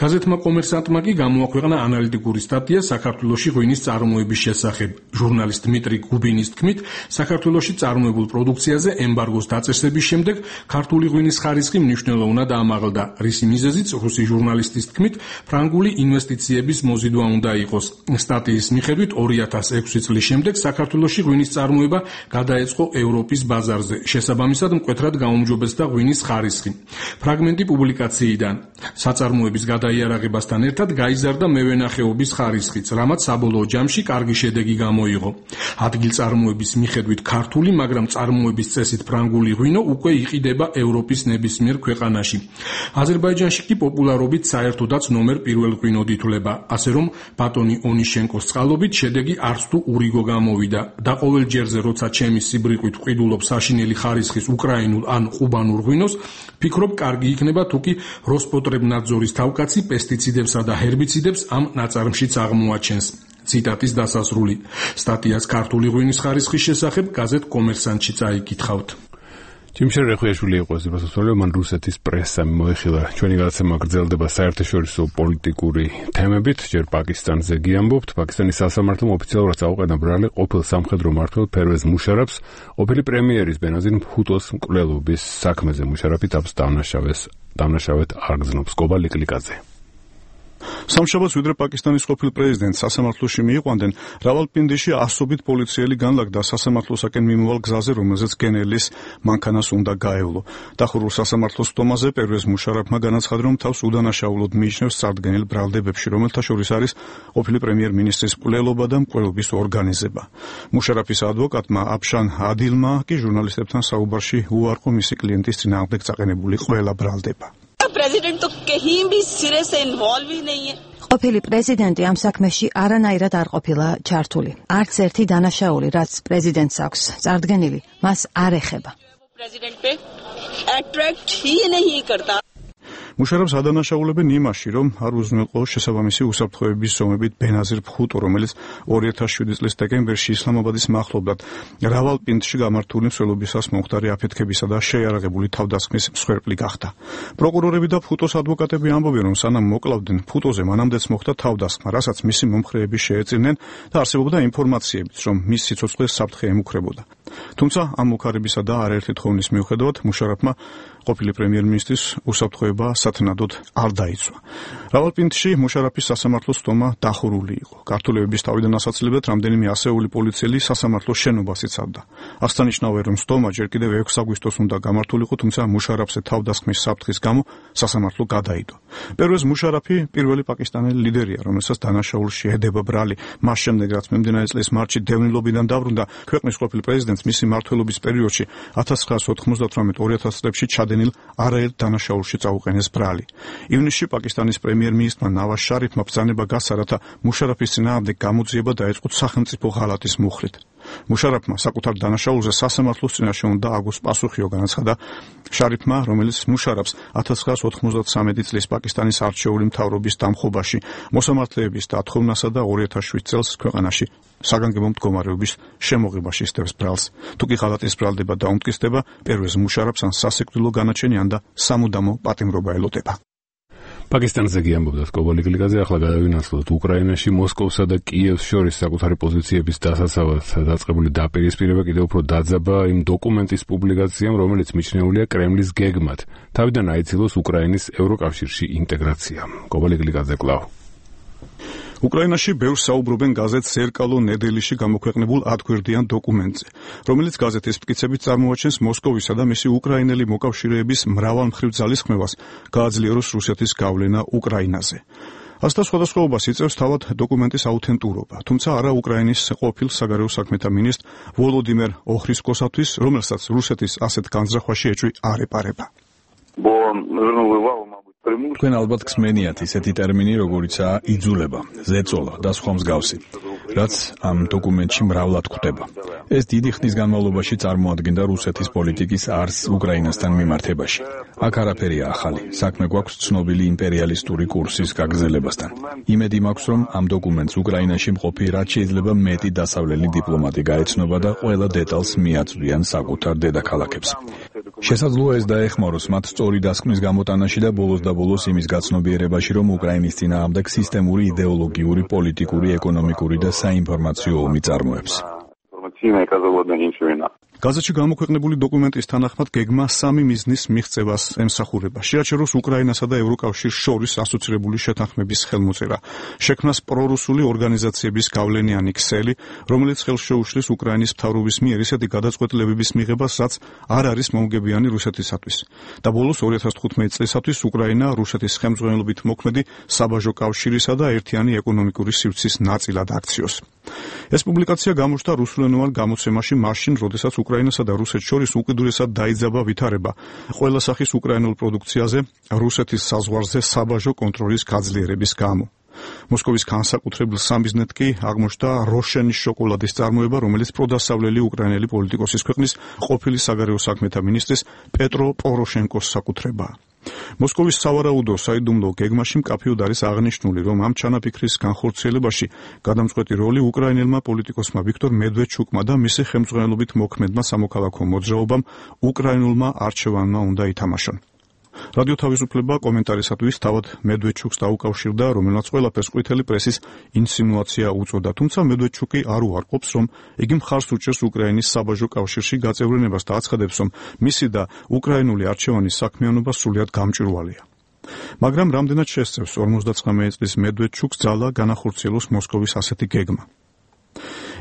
გაზეთმა „კომერსანტმა“ კი გამოაქვეყნა ანალიტიკური სტატია საქართველოში ღვინის წარმოების შესახებ. ჟურნალისტ დმიტრი გუბინის თქმით, საქართველოში წარმოებულ პროდუქციაზე ემბარგოს დაწესების შემდეგ ქართული ღვინის ხარისხი მნიშვნელოვნად ამაღლდა, რისი მიზეზიც რუსი ჟურნალისტის თქმით ფრანგული ინვესტიციების მოზიდვა უნდა იყოს. სტატიის მიხედვით 2006 წლის შემდეგ საქართველოში ღვინის წარმოება გადაეწყო ევროპის ბაზარზე, შესაბამისად მკვეთრად გაუმჯობესდა ღვინის ხარისხი. ფრაგმენტი პუბლიკაციიდან. საწარმოების გადაიარაღებასთან ერთად გაიზარდა მევენახეობის ხარისხიც, რამაც საბოლოო ჯამში კარგი შედეგი გამოიღო. ადგილწარმოების მიხედვით ქართული, მაგრამ წარმოების წესით ფრანგული ღვინო უკვე იყიდება ევროპის ნებისმიერ ქვეყანაში. აზერბაიჯანში კი პოპულარობით საერთოდაც ნომერ პირველ ღვინოდ ითვლება, ასე რომ ბატონი ონიშენკოს წყალობით შედეგი არც თუ ურიგო გამოვიდა და ყოველ ჯერზე როცა ჩემი სიბრიყვით ვყიდულობ საშინელი ხარისხის უკრაინულ ან ყუბანურ ღვინოს, ფიქრობ კარგი იქნება თუკი როსპოტრებნადზორის თავკაცი პესტიციდებსა და ჰერბიციდებს ამ ნაწარმშიც აღმოაჩენს. ციტატის დასასრული. სტატიას ქართული ღვინის ხარისხის შესახებ გაზეთ „კომერსანტში“ წაიკითხავთ. ჯიმშერ რეხვიაშვილი იყო ეს დასასრული, მან რუსეთის პრესამ მოიხილა. ჩვენი გადაცემა გრძელდება საერთაშორისო პოლიტიკური თემებით, ჯერ პაკისტანზე გიამბობთ. პაკისტანის სასამართლომ ოფიციალურად წაუყენა ბრალი ყოფილ სამხედრო მმართველ ფერვეზ მუშარაფს, ყოფილი პრემიერის ბენაზირ ბჰუტოს მკვლელობის საქმეზე. მუშარაფი თავს დამნაშავედ არ გზნობს. კობა ლიკლიკაძე. სამშაბათს ვიდრე პაკისტანის ყოფილ პრეზიდენტს სასამართლოში მიიყვანდნენ, რავალპინდიში ასობით პოლიციელი განლაგდა სასამართლოსაკენ მიმავალ გზაზე, რომელზეც გენერლის მანქანას უნდა გაევლო. დახურულ სასამართლოს სტომაზე პერვეზ მუშარაფმა განაცხადა, რომ თავს უდანაშაულოდ მიიჩნევს წარდგენილ ბრალდებებში, რომელთა შორის არის ყოფილი პრემიერ-მინისტრის მკვლელობა და მკვლელობის ორგანიზება. მუშარაფის ადვოკატმა აფშან ადილმა კი ჟურნალისტებთან საუბარში უარყო მისი კლიენტის წინააღმდეგ წაყენებული ყველა ბრალდება. ყოფილი პრეზიდენტი ამ საქმეში არანაირად არ ყოფილა ჩართული. არც ერთი დანაშაული, რაც პრეზიდენტს აქვს წარდგენილი, მას არ ეხება. მუშარაფს ადანაშაულებენ იმაში, რომ არ უზრუნველყო შესაბამისი უსაფრთხოების ზომებით ბენაზირ ფხუტუ, რომელიც 2007 წლის დეკემბერში ისლამაბადის მახლობლად რავალპინდში გამართული მსვლელობისას მომხდარი აფეთქებისა და შეიარაღებული თავდასხმის მსხვერპლი გახდა. პროკურორები და ფუტოს ადვოკატები ამბობენ, რომ სანამ მოკლავდნენ, ფუტოზე მანამდეც მოხდა თავდასხმა, რასაც მისი მომხრეები შეეწირნენ და არსებობდა ინფორმაციებიც, რომ მის სიცოცხლეს საფრთხე ემუქრებოდა. თუმცა ამ მუქარებისა და არაერთი თხოვნის მიუხედავად მუშარაფმა ყოფილი პრემიერ-მინისტრის უსაფრთხოება სათნადოდ არ დაიცვა. რავალპინდში მუშარაფის სასამართლოს სტომა დახურული იყო. გართულებების თავიდან ასაცილებლად რამდენიმე ასეული პოლიციელი სასამართლოს შენობას იცავდა. აღსანიშნავია, რომ სტომა ჯერ კიდევ 6 აგვისტოს უნდა გამართულიყო, თუმცა მუშარაფზე თავდასხმის საფრთხის გამო სასამართლო გადაიდო. პერვეზ მუშარაფი პირველი პაკისტანელი ლიდერია, რომელსაც დანაშაულში ედება ბრალი. მას შემდეგ, რაც მიმდინარე წლის მარტში დევნილობიდან დაბრუნდა, ქვეყნის ყოფილი პრეზიდენტს მისი მმართველობის პერიოდში 1998-2000 წლებში ჩადენილ არაერთ დანაშაულში წაუყენეს ბრალი. ივნისში პაკისტანის პრემიერ-მინისტრმა ნავაზ შარიფმა ბრძანება გასცა, რათა მუშარაფის წინააღმდეგ გამოძიება დაეწყოთ სახელმწიფო ღალატის მუხლით. მუშარაფმა საკუთარ დანაშაულზე სასამართლოს წინაშე უნდა აგოს პასუხიო, განაცხადა შარიფმა, რომელიც მუშარაფს 1993 წლის პაკისტანის არჩეული მთავრობის დამხობაში, მოსამართლეების დათხოვნასა და 2007 წელს ქვეყანაში საგანგებო მდგომარეობის შემოღებაში სდევს ბრალს. თუკი ღალატის ბრალდება დაუმტკიცდება, პერვეზ მუშარაფს ან სასიკვდილო განაჩენი, ან და სამუდამო პატიმრობა ელოდება. პაკისტანზე გიამბობდათ კობალიგლიგაზე, ახლა გადავინაცვლოთ უკრაინაში მოსკოვსა და კიევს შორის საკუთარი პოზიციების დასაცავად დაწყებული დაპირისპირება კიდევ უფრო დაძაბა იმ დოკუმენტის პუბლიკაციამ, რომელიც მიჩნეულია კრემლის გეგმად, თავიდან აიცილოს უკრაინის ევროკავშირში ინტეგრაცია. კობალიგლიგაზე კვლავ. უკრაინაში ბევრს საუბრობენ გაზეთ ზერკალო ნედელიში გამოქვეყნებულ 10-გვერდიან დოკუმენტზე, რომელიც გაზეთის მტკიცებით წარმოაჩენს მოსკოვისა და მისი უკრაინელი მოკავშირეების მრავალმხრივ ძალისხმევას გააძლიეროს რუსეთის გავლენა უკრაინაზე. ასთა სხვადასხვაობას იწევს თავად დოკუმენტის აუთენტურობა, თუმცა არა უკრაინის ყოფილ საგარეო საქმეთა მინისტრ ვოლოდიმერ ოხრისკოსათვის, რომელსაც რუსეთის ასეთ განზრახვაში ეჭვი არ ეპარება. თქვენ ალბათ გსმენიათ ისეთი ტერმინი, როგორიცაა იძულება, ზეწოლა და სხვა მსგავსი, რაც ამ დოკუმენტში მრავლად გვხვდება. ეს დიდი ხნის განმავლობაში წარმოადგენდა რუსეთის პოლიტიკის არსს უკრაინასთან მიმართებაში. აქ არაფერია ახალი, საქმე გვაქვს ცნობილი იმპერიალისტური კურსის გაგრძელებასთან. იმედი მაქვს, რომ ამ დოკუმენტს უკრაინაში მყოფი რაც შეიძლება მეტი დასავლელი დიპლომატი გაეცნობა და ყველა დეტალს მიაწვდიან საკუთარ დედაქალაქებს. შესაძლოა ეს დაეხმაროს მათ სწორი დასკვნის გამოტანაში და ბოლოს და ბოლოს იმის გაცნობიერებაში, რომ უკრაინის წინააღმდეგ სისტემური იდეოლოგიური, პოლიტიკური, ეკონომიკური და საინფორმაციო ომი წარმოებს. გაზეთში გამოქვეყნებული დოკუმენტის თანახმად გეგმა 3 მიზნის მიღწევას ემსახურება. შეაჩეროს უკრაინასა და ევროკავშირს შორის ასოცირებული შეთანხმების ხელმოწერა. შექმნას პრორუსული ორგანიზაციების გავლენიანი ქსელი, რომელიც ხელს შეუშლის უკრაინის მთავრობის მიერ ისეთი გადაწყვეტილებების მიღებას, რაც არ არის მომგებიანი რუსეთისათვის. და ბოლოს 2015 წლისათვის უკრაინა რუსეთის ხელმძღვანელობით მოქმედი საბაჟო კავშირისა და ერთიანი ეკონომიკური სივრცის ნაწილად აქციოს. ეს პუბლიკაცია გამოჩნდა რუსულენოვან გამოცემაში მაშინ, როდესაც უკრაინასა და რუსეთს შორის უკიდურესად დაიძაბა ვითარება ყველა სახის უკრაინულ პროდუქციაზე რუსეთის საზღვარზე საბაჟო კონტროლის გაძლიერების გამო. მოსკოვის განსაკუთრებულ სამიზნედ კი აღმოჩნდა როშენის შოკოლადის წარმოება, რომელიც პროდასავლელი უკრაინელი პოლიტიკოსის ქვეყნის ყოფილი საგარეო საქმეთა მინისტრის პეტრო პოროშენკოს საკუთრებაა. მოსკოვის სავარაუდო საიდუმლო გეგმაში მკაფიოდ არის აღნიშნული, რომ ამ ჩანაფიქრის განხორციელებაში გადამწყვეტი როლი უკრაინელმა პოლიტიკოსმა ვიქტორ მედვედჩუკმა და მისი ხელმძღვანელობით მოქმედმა სამოქალაქო მოძრაობამ უკრაინულმა არჩევანმა უნდა ითამაშონ. რადიო თავისუფლება კომენტარისათვის თავად მედვედჩუკს დაუკავშირდა, რომელმაც ყველაფერს ყვითელი პრესის ინსინუაცია უწოდა, თუმცა მედვედჩუკი არ უარყოფს, რომ იგი მხარს უჭერს უკრაინის საბაჟო კავშირში გაწევრიანებას და აცხადებს, რომ მისი და უკრაინული არჩევანის საქმიანობა სრულიად გამჭვირვალეა. მაგრამ რამდენად შესწევს 59 წლის მედვედჩუკს ძალა განახორციელოს მოსკოვის ასეთი გეგმა.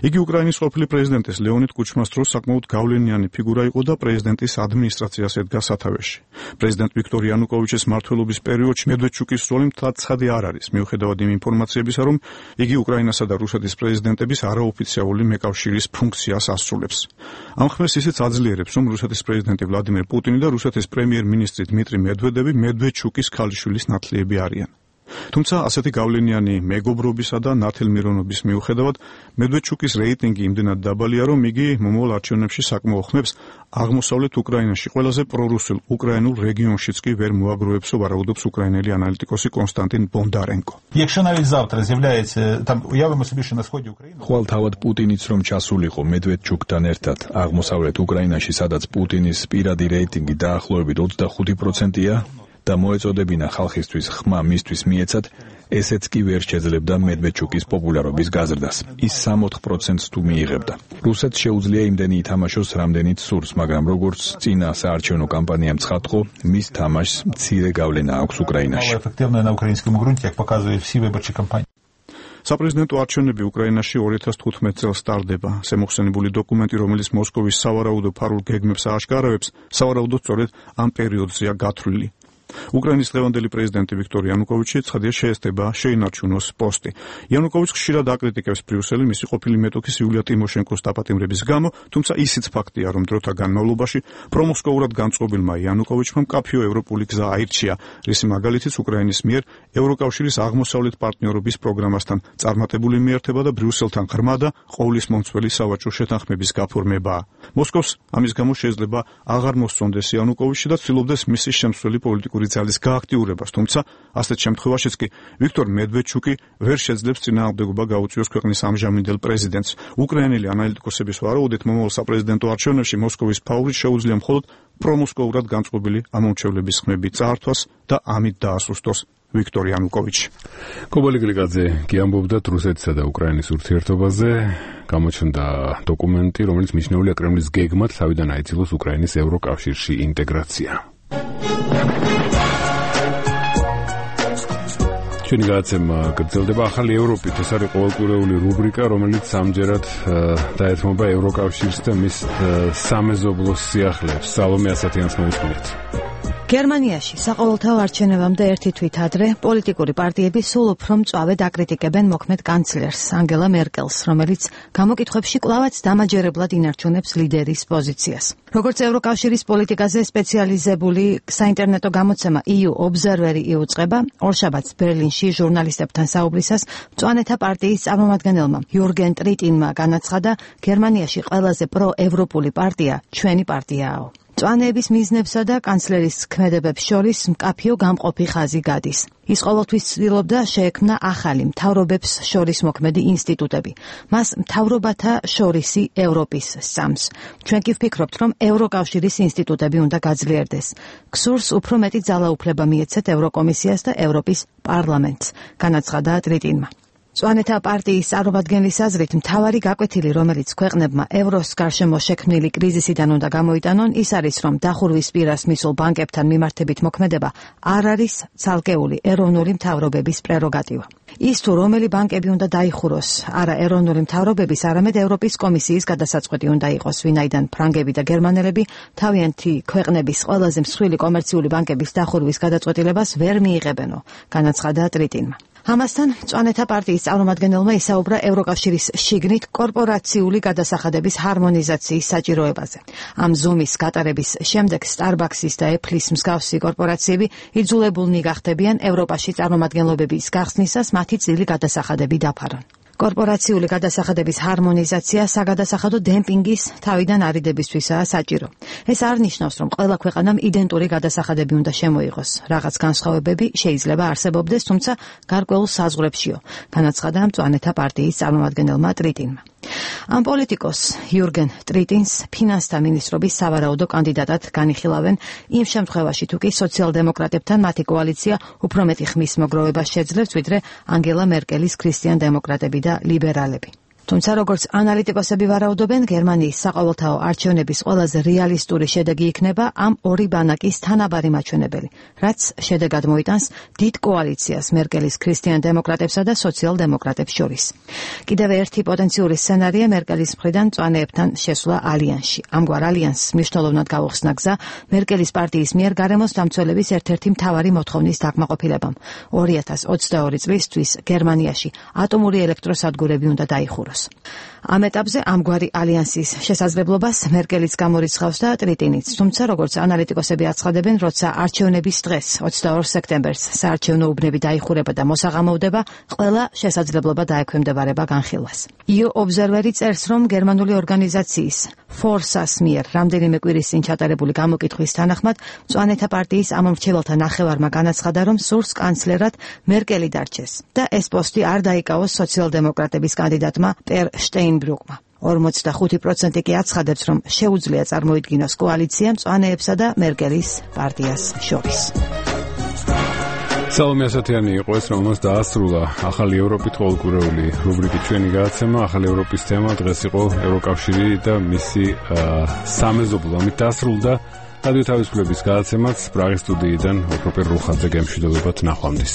იგი უკრაინის ყოფილი პრეზიდენტის ლეონიდ კუჩმას დროს საკმაოდ გავლენიანი ფიგურა იყო და პრეზიდენტის ადმინისტრაციას ედგა სათავეში. პრეზიდენტ ვიქტორ იანუკოვიჩის მმართველობის პერიოდში მედვედჩუკის როლი მთლად ცხადი არ არის, მიუხედავად იმ ინფორმაციებისა, რომ იგი უკრაინასა და რუსეთის პრეზიდენტების არაოფიციალური მეკავშირის ფუნქციას ასრულებს. ამ ხმას ისიც აძლიერებს, რომ რუსეთის პრეზიდენტი ვლადიმერ პუტინი და რუსეთის პრემიერ-მინისტრი დმიტრი მედვედევი მედვედჩუკის ქალიშვილის ნათლიები არიან. თუმცა ასეთი გავლენიანი მეგობრობისა და ნათელმირონობის მიუხედავად მედვედჩუკის რეიტინგი იმდენად დაბალია, რომ იგი მომავალ არჩევნებში საკმაო ხმებს აღმოსავლეთ უკრაინაში ყველაზე პრორუსულ უკრაინულ რეგიონშიც კი ვერ მოაგროვებსო, ვარაუდობს უკრაინელი ანალიტიკოსი კონსტანტინ ბონდარენკო. ხვალ თავად პუტინიც რომ ჩასულიყო მედვედჩუკთან ერთად აღმოსავლეთ უკრაინაში, სადაც პუტინის პირადი რეიტინგი დაახლოებით 25%-ია და მოეწოდებინა ხალხისთვის ხმა მისთვის მიეცათ, ესეც კი ვერ შეძლებდა მედვედჩუკის პოპულარობის გაზრდას. ის 60%-ს თუ მიიღებდა. რუსეთს შეუძლია იმდენი ითამაშოს, რამდენიც სურს, მაგრამ როგორც წინა საარჩევნო კამპანიამ ცხადყო, მის თამაშს მცირე გავლენა აქვს უკრაინაში. საპრეზიდენტო არჩევნები უკრაინაში 2015 წელს სტარდება. შემოხსენებული დოკუმენტი, რომელიც მოსკოვის სავარაუდო ფარულ გეგმებს ააშკარავებს, სავარაუდოდ სწორედ ამ პერიოდზეა გათვლილი. უკრაინის დღევანდელი პრეზიდენტი ვიქტორ იანუკოვიჩი ცხადია შეესწება შეინარჩუნოს პოსტი. იანუკოვიჩს ხშირად აკრიტიკებს ბრიუსელი მისი ყოფილი მეტოქის იულია ტიმოშენკოს დაპატიმრების გამო, თუმცა ისიც ფაქტია, რომ დროთა განმავლობაში პრომოსკოვურად განწყობილმა იანუკოვიჩმა მკაფიო ევროპული გზა აირჩია, რისი მაგალითიც უკრაინის მიერ ევროკავშირის აღმოსავლეთ პარტნიორობის პროგრამასთან წარმატებული მიერთება და ბრიუსელთან ღრმა და ყოვლისმომცველი სავაჭრო შეთანხმების გაფორმებაა. მოსკოვს ამის გამო შეიძლება აღარ მოსწონდეს იანუკოვიჩი და ცდილობდეს მისი შემცვლელი პოლიტიკური ძალის გააქტიურებას, თუმცა ასეთ შემთხვევაშიც კი ვიქტორ მედვედჩუკი ვერ შეძლებს წინააღმდეგობა გაუწიოს ქვეყნის ამჟამინდელ პრეზიდენტს. უკრაინელი ანალიტიკოსების ვარაუდით, მომავალ საპრეზიდენტო არჩევნებში მოსკოვის ფავორიტს შეუძლია მხოლოდ პრომოსკოურად განწყობილი ამომრჩევლების ხმები წაართვას და ამით დაასუსტოს ვიქტორ იანუკოვიჩი. კობალი გლიკაძე კი ამბობდა რუსეთსა და უკრაინის ურთიერთობაზე. გამოჩნდა დოკუმენტი, რომელიც მიჩნეულია კრემლის გეგმად, თავიდან აიძულოს უკრაინის ევროკავშირში ინტეგრაცია. ჩვენი გადაცემა გრძელდება ახალი ევროპით. ეს არის ყოველკვირეული რუბრიკა, რომელიც ამჯერად დაეთმობა ევროკავშირს და მის სამეზობლოს სიახლეებს. სალომე ასათიანს მოусმინეთ. გერმანიაში საყოველთაო არჩევნებამდე ერთი თვით ადრე პოლიტიკური პარტიები სულ უფრო მწვავედ აკრიტიკებენ მოქმედ კანცლერს ანგელა მერკელს, რომელიც გამოკითხვებში კვლავაც დამაჯერებლად ინარჩუნებს ლიდერის პოზიციას. როგორც ევროკავშირის პოლიტიკაზე სპეციალიზებული საინტერნეტო გამოცემა EU Observer-ი იუწყება, ორშაბათს ბერლინში ჟურნალისტებთან საუბრისას მწვანეთა პარტიის წარმომადგენელმა იურგენ ტრიტინმა განაცხადა, გერმანიაში ყველაზე პროევროპული პარტია ჩვენი პარტიაა. მწვანეების მიზნებსა და კანცლერის ქმედებებს შორის მკაფიო გამყოფი ხაზი გადის. ის ყოველთვის ცდილობდა შეექმნა ახალი მთავრობებს შორის მოქმედი ინსტიტუტები. მას მთავრობათა შორისი ევროპის სწამს. ჩვენ კი ვფიქრობთ, რომ ევროკავშირის ინსტიტუტები უნდა გაძლიერდეს. გსურს უფრო მეტი ძალაუფლება მიეცეთ ევროკომისიას და ევროპის პარლამენტს, განაცხადა ტრიტინმა. მწვანეთა პარტიის წარმომადგენლის აზრით, მთავარი გაკვეთილი, რომელიც ქვეყნებმა ევროს გარშემო შექმნილი კრიზისიდან უნდა გამოიტანონ, ის არის, რომ დახურვის პირას მისულ ბანკებთან მიმართებით მოქმედება არ არის ცალკეული ეროვნული მთავრობების პრეროგატივა. ის თუ რომელი ბანკები უნდა დაიხუროს, არა ეროვნული მთავრობების, არამედ ევროპის კომისიის გადასაწყვეტი უნდა იყოს, ვინაიდან ფრანგები და გერმანელები თავიანთი ქვეყნების ყველაზე მსხვილი კომერციული ბანკების დახურვის გადაწყვეტილებას ვერ მიიღებენო, განაცხადა ტრიტინმა. ამასთან მწვანეთა პარტიის წარმომადგენელმა ისაუბრა ევროკავშირის შიგნით კორპორაციული გადასახადების ჰარმონიზაციის საჭიროებაზე. ამ ზომის გატარების შემდეგ Starbucks-ის და Apple-ის მსგავსი კორპორაციები იძულებულნი გახდებიან ევროპაში წარმომადგენლობების გახსნისას მათი წილი გადასახადები დაფარონ. კორპორაციული გადასახადების ჰარმონიზაცია საგადასახადო დემპინგის თავიდან არიდებისთვისაა საჭირო. ეს არ ნიშნავს, რომ ყველა ქვეყანამ იდენტური გადასახადები უნდა შემოიღოს. რაღაც განსხვავებები შეიძლება არსებობდეს, თუმცა გარკვეულ საზღვრებშიო, განაცხადა მწვანეთა პარტიის წარმომადგენელმა ტრიტინმა. ამ პოლიტიკოს იურგენ ტრიტინს ფინანსთა მინისტრობის სავარაუდო კანდიდატად განიხილავენ იმ შემთხვევაში, თუ კი სოციალ-დემოკრატებთან მათი კოალიცია უფრო მეტი ხმის მოგროვებას შეძლებს, ვიდრე ანგელა მერკელის ქრისტიან-დემოკრატები და ლიბერალები. თუმცა როგორც ანალიტიკოსები ვარაუდობენ, გერმანიის საყოველთაო არჩევნების ყველაზე რეალისტური შედეგი იქნება ამ ორი ბანაკის თანაბარი მაჩვენებელი, რაც შედეგად მოიტანს დიდ კოალიციას მერკელის ქრისტიან-დემოკრატებსა და სოციალ-დემოკრატებს შორის. კიდევ ერთი პოტენციური სცენარია მერკელის მხრიდან მწვანეებთან შესვლა ალიანსში. ამგვარ ალიანსს მნიშვნელოვნად გაუხსნა გზა მერკელის პარტიის მიერ გარემოს დამცველების ერთ-ერთი მთავარი მოთხოვნის დაკმაყოფილებამ. 2022 წლისთვის გერმანიაში ატომური ელექტროსადგურები უნდა დაიხუროს. ამ ეტაპზე ამგვარი ალიანსის შესაძლებლობას მერკელიც გამორიცხავს და ტრიტინიც, თუმცა როგორც ანალიტიკოსები აცხადებენ, როცა არჩევნების დღეს 22 სექტემბერს საარჩევნო უბნები დაიხურება და მოსაღამოვდება, ყველა შესაძლებლობა დაექვემდებარება განხილვას. EU Observer-ი წერს, რომ გერმანული ორგანიზაციის Forsa-ს მიერ რამდენიმე კვირის წინ ჩატარებული გამოკითხვის თანახმად მწვანეთა პარტიის ამომრჩეველთა ნახევარმა განაცხადა, რომ სურს კანცლერად მერკელი დარჩეს და ეს პოსტი არ დაიკავოს სოციალ-დემოკრატების კანდიდატმა პერ შტეინბრუკმა. 45% კი აცხადებს, რომ შეუძლია წარმოიდგინოს კოალიცია მწვანეებსა და მერკელის პარტიას შორის. სალომე ასათიანი იყო ეს, რომელმაც დაასრულა ახალი ევროპით ყოველკვირეული რუბრიკი ჩვენი გადაცემა. ახალი ევროპის თემა დღეს იყო ევროკავშირი და მისი სამეზობლო. ამით დაასრულდა რადიო თავისუფლების გადაცემაც პრაღის სტუდიიდან ოქროპერ რუხაძე გემშვიდობებათ ნახვამდის.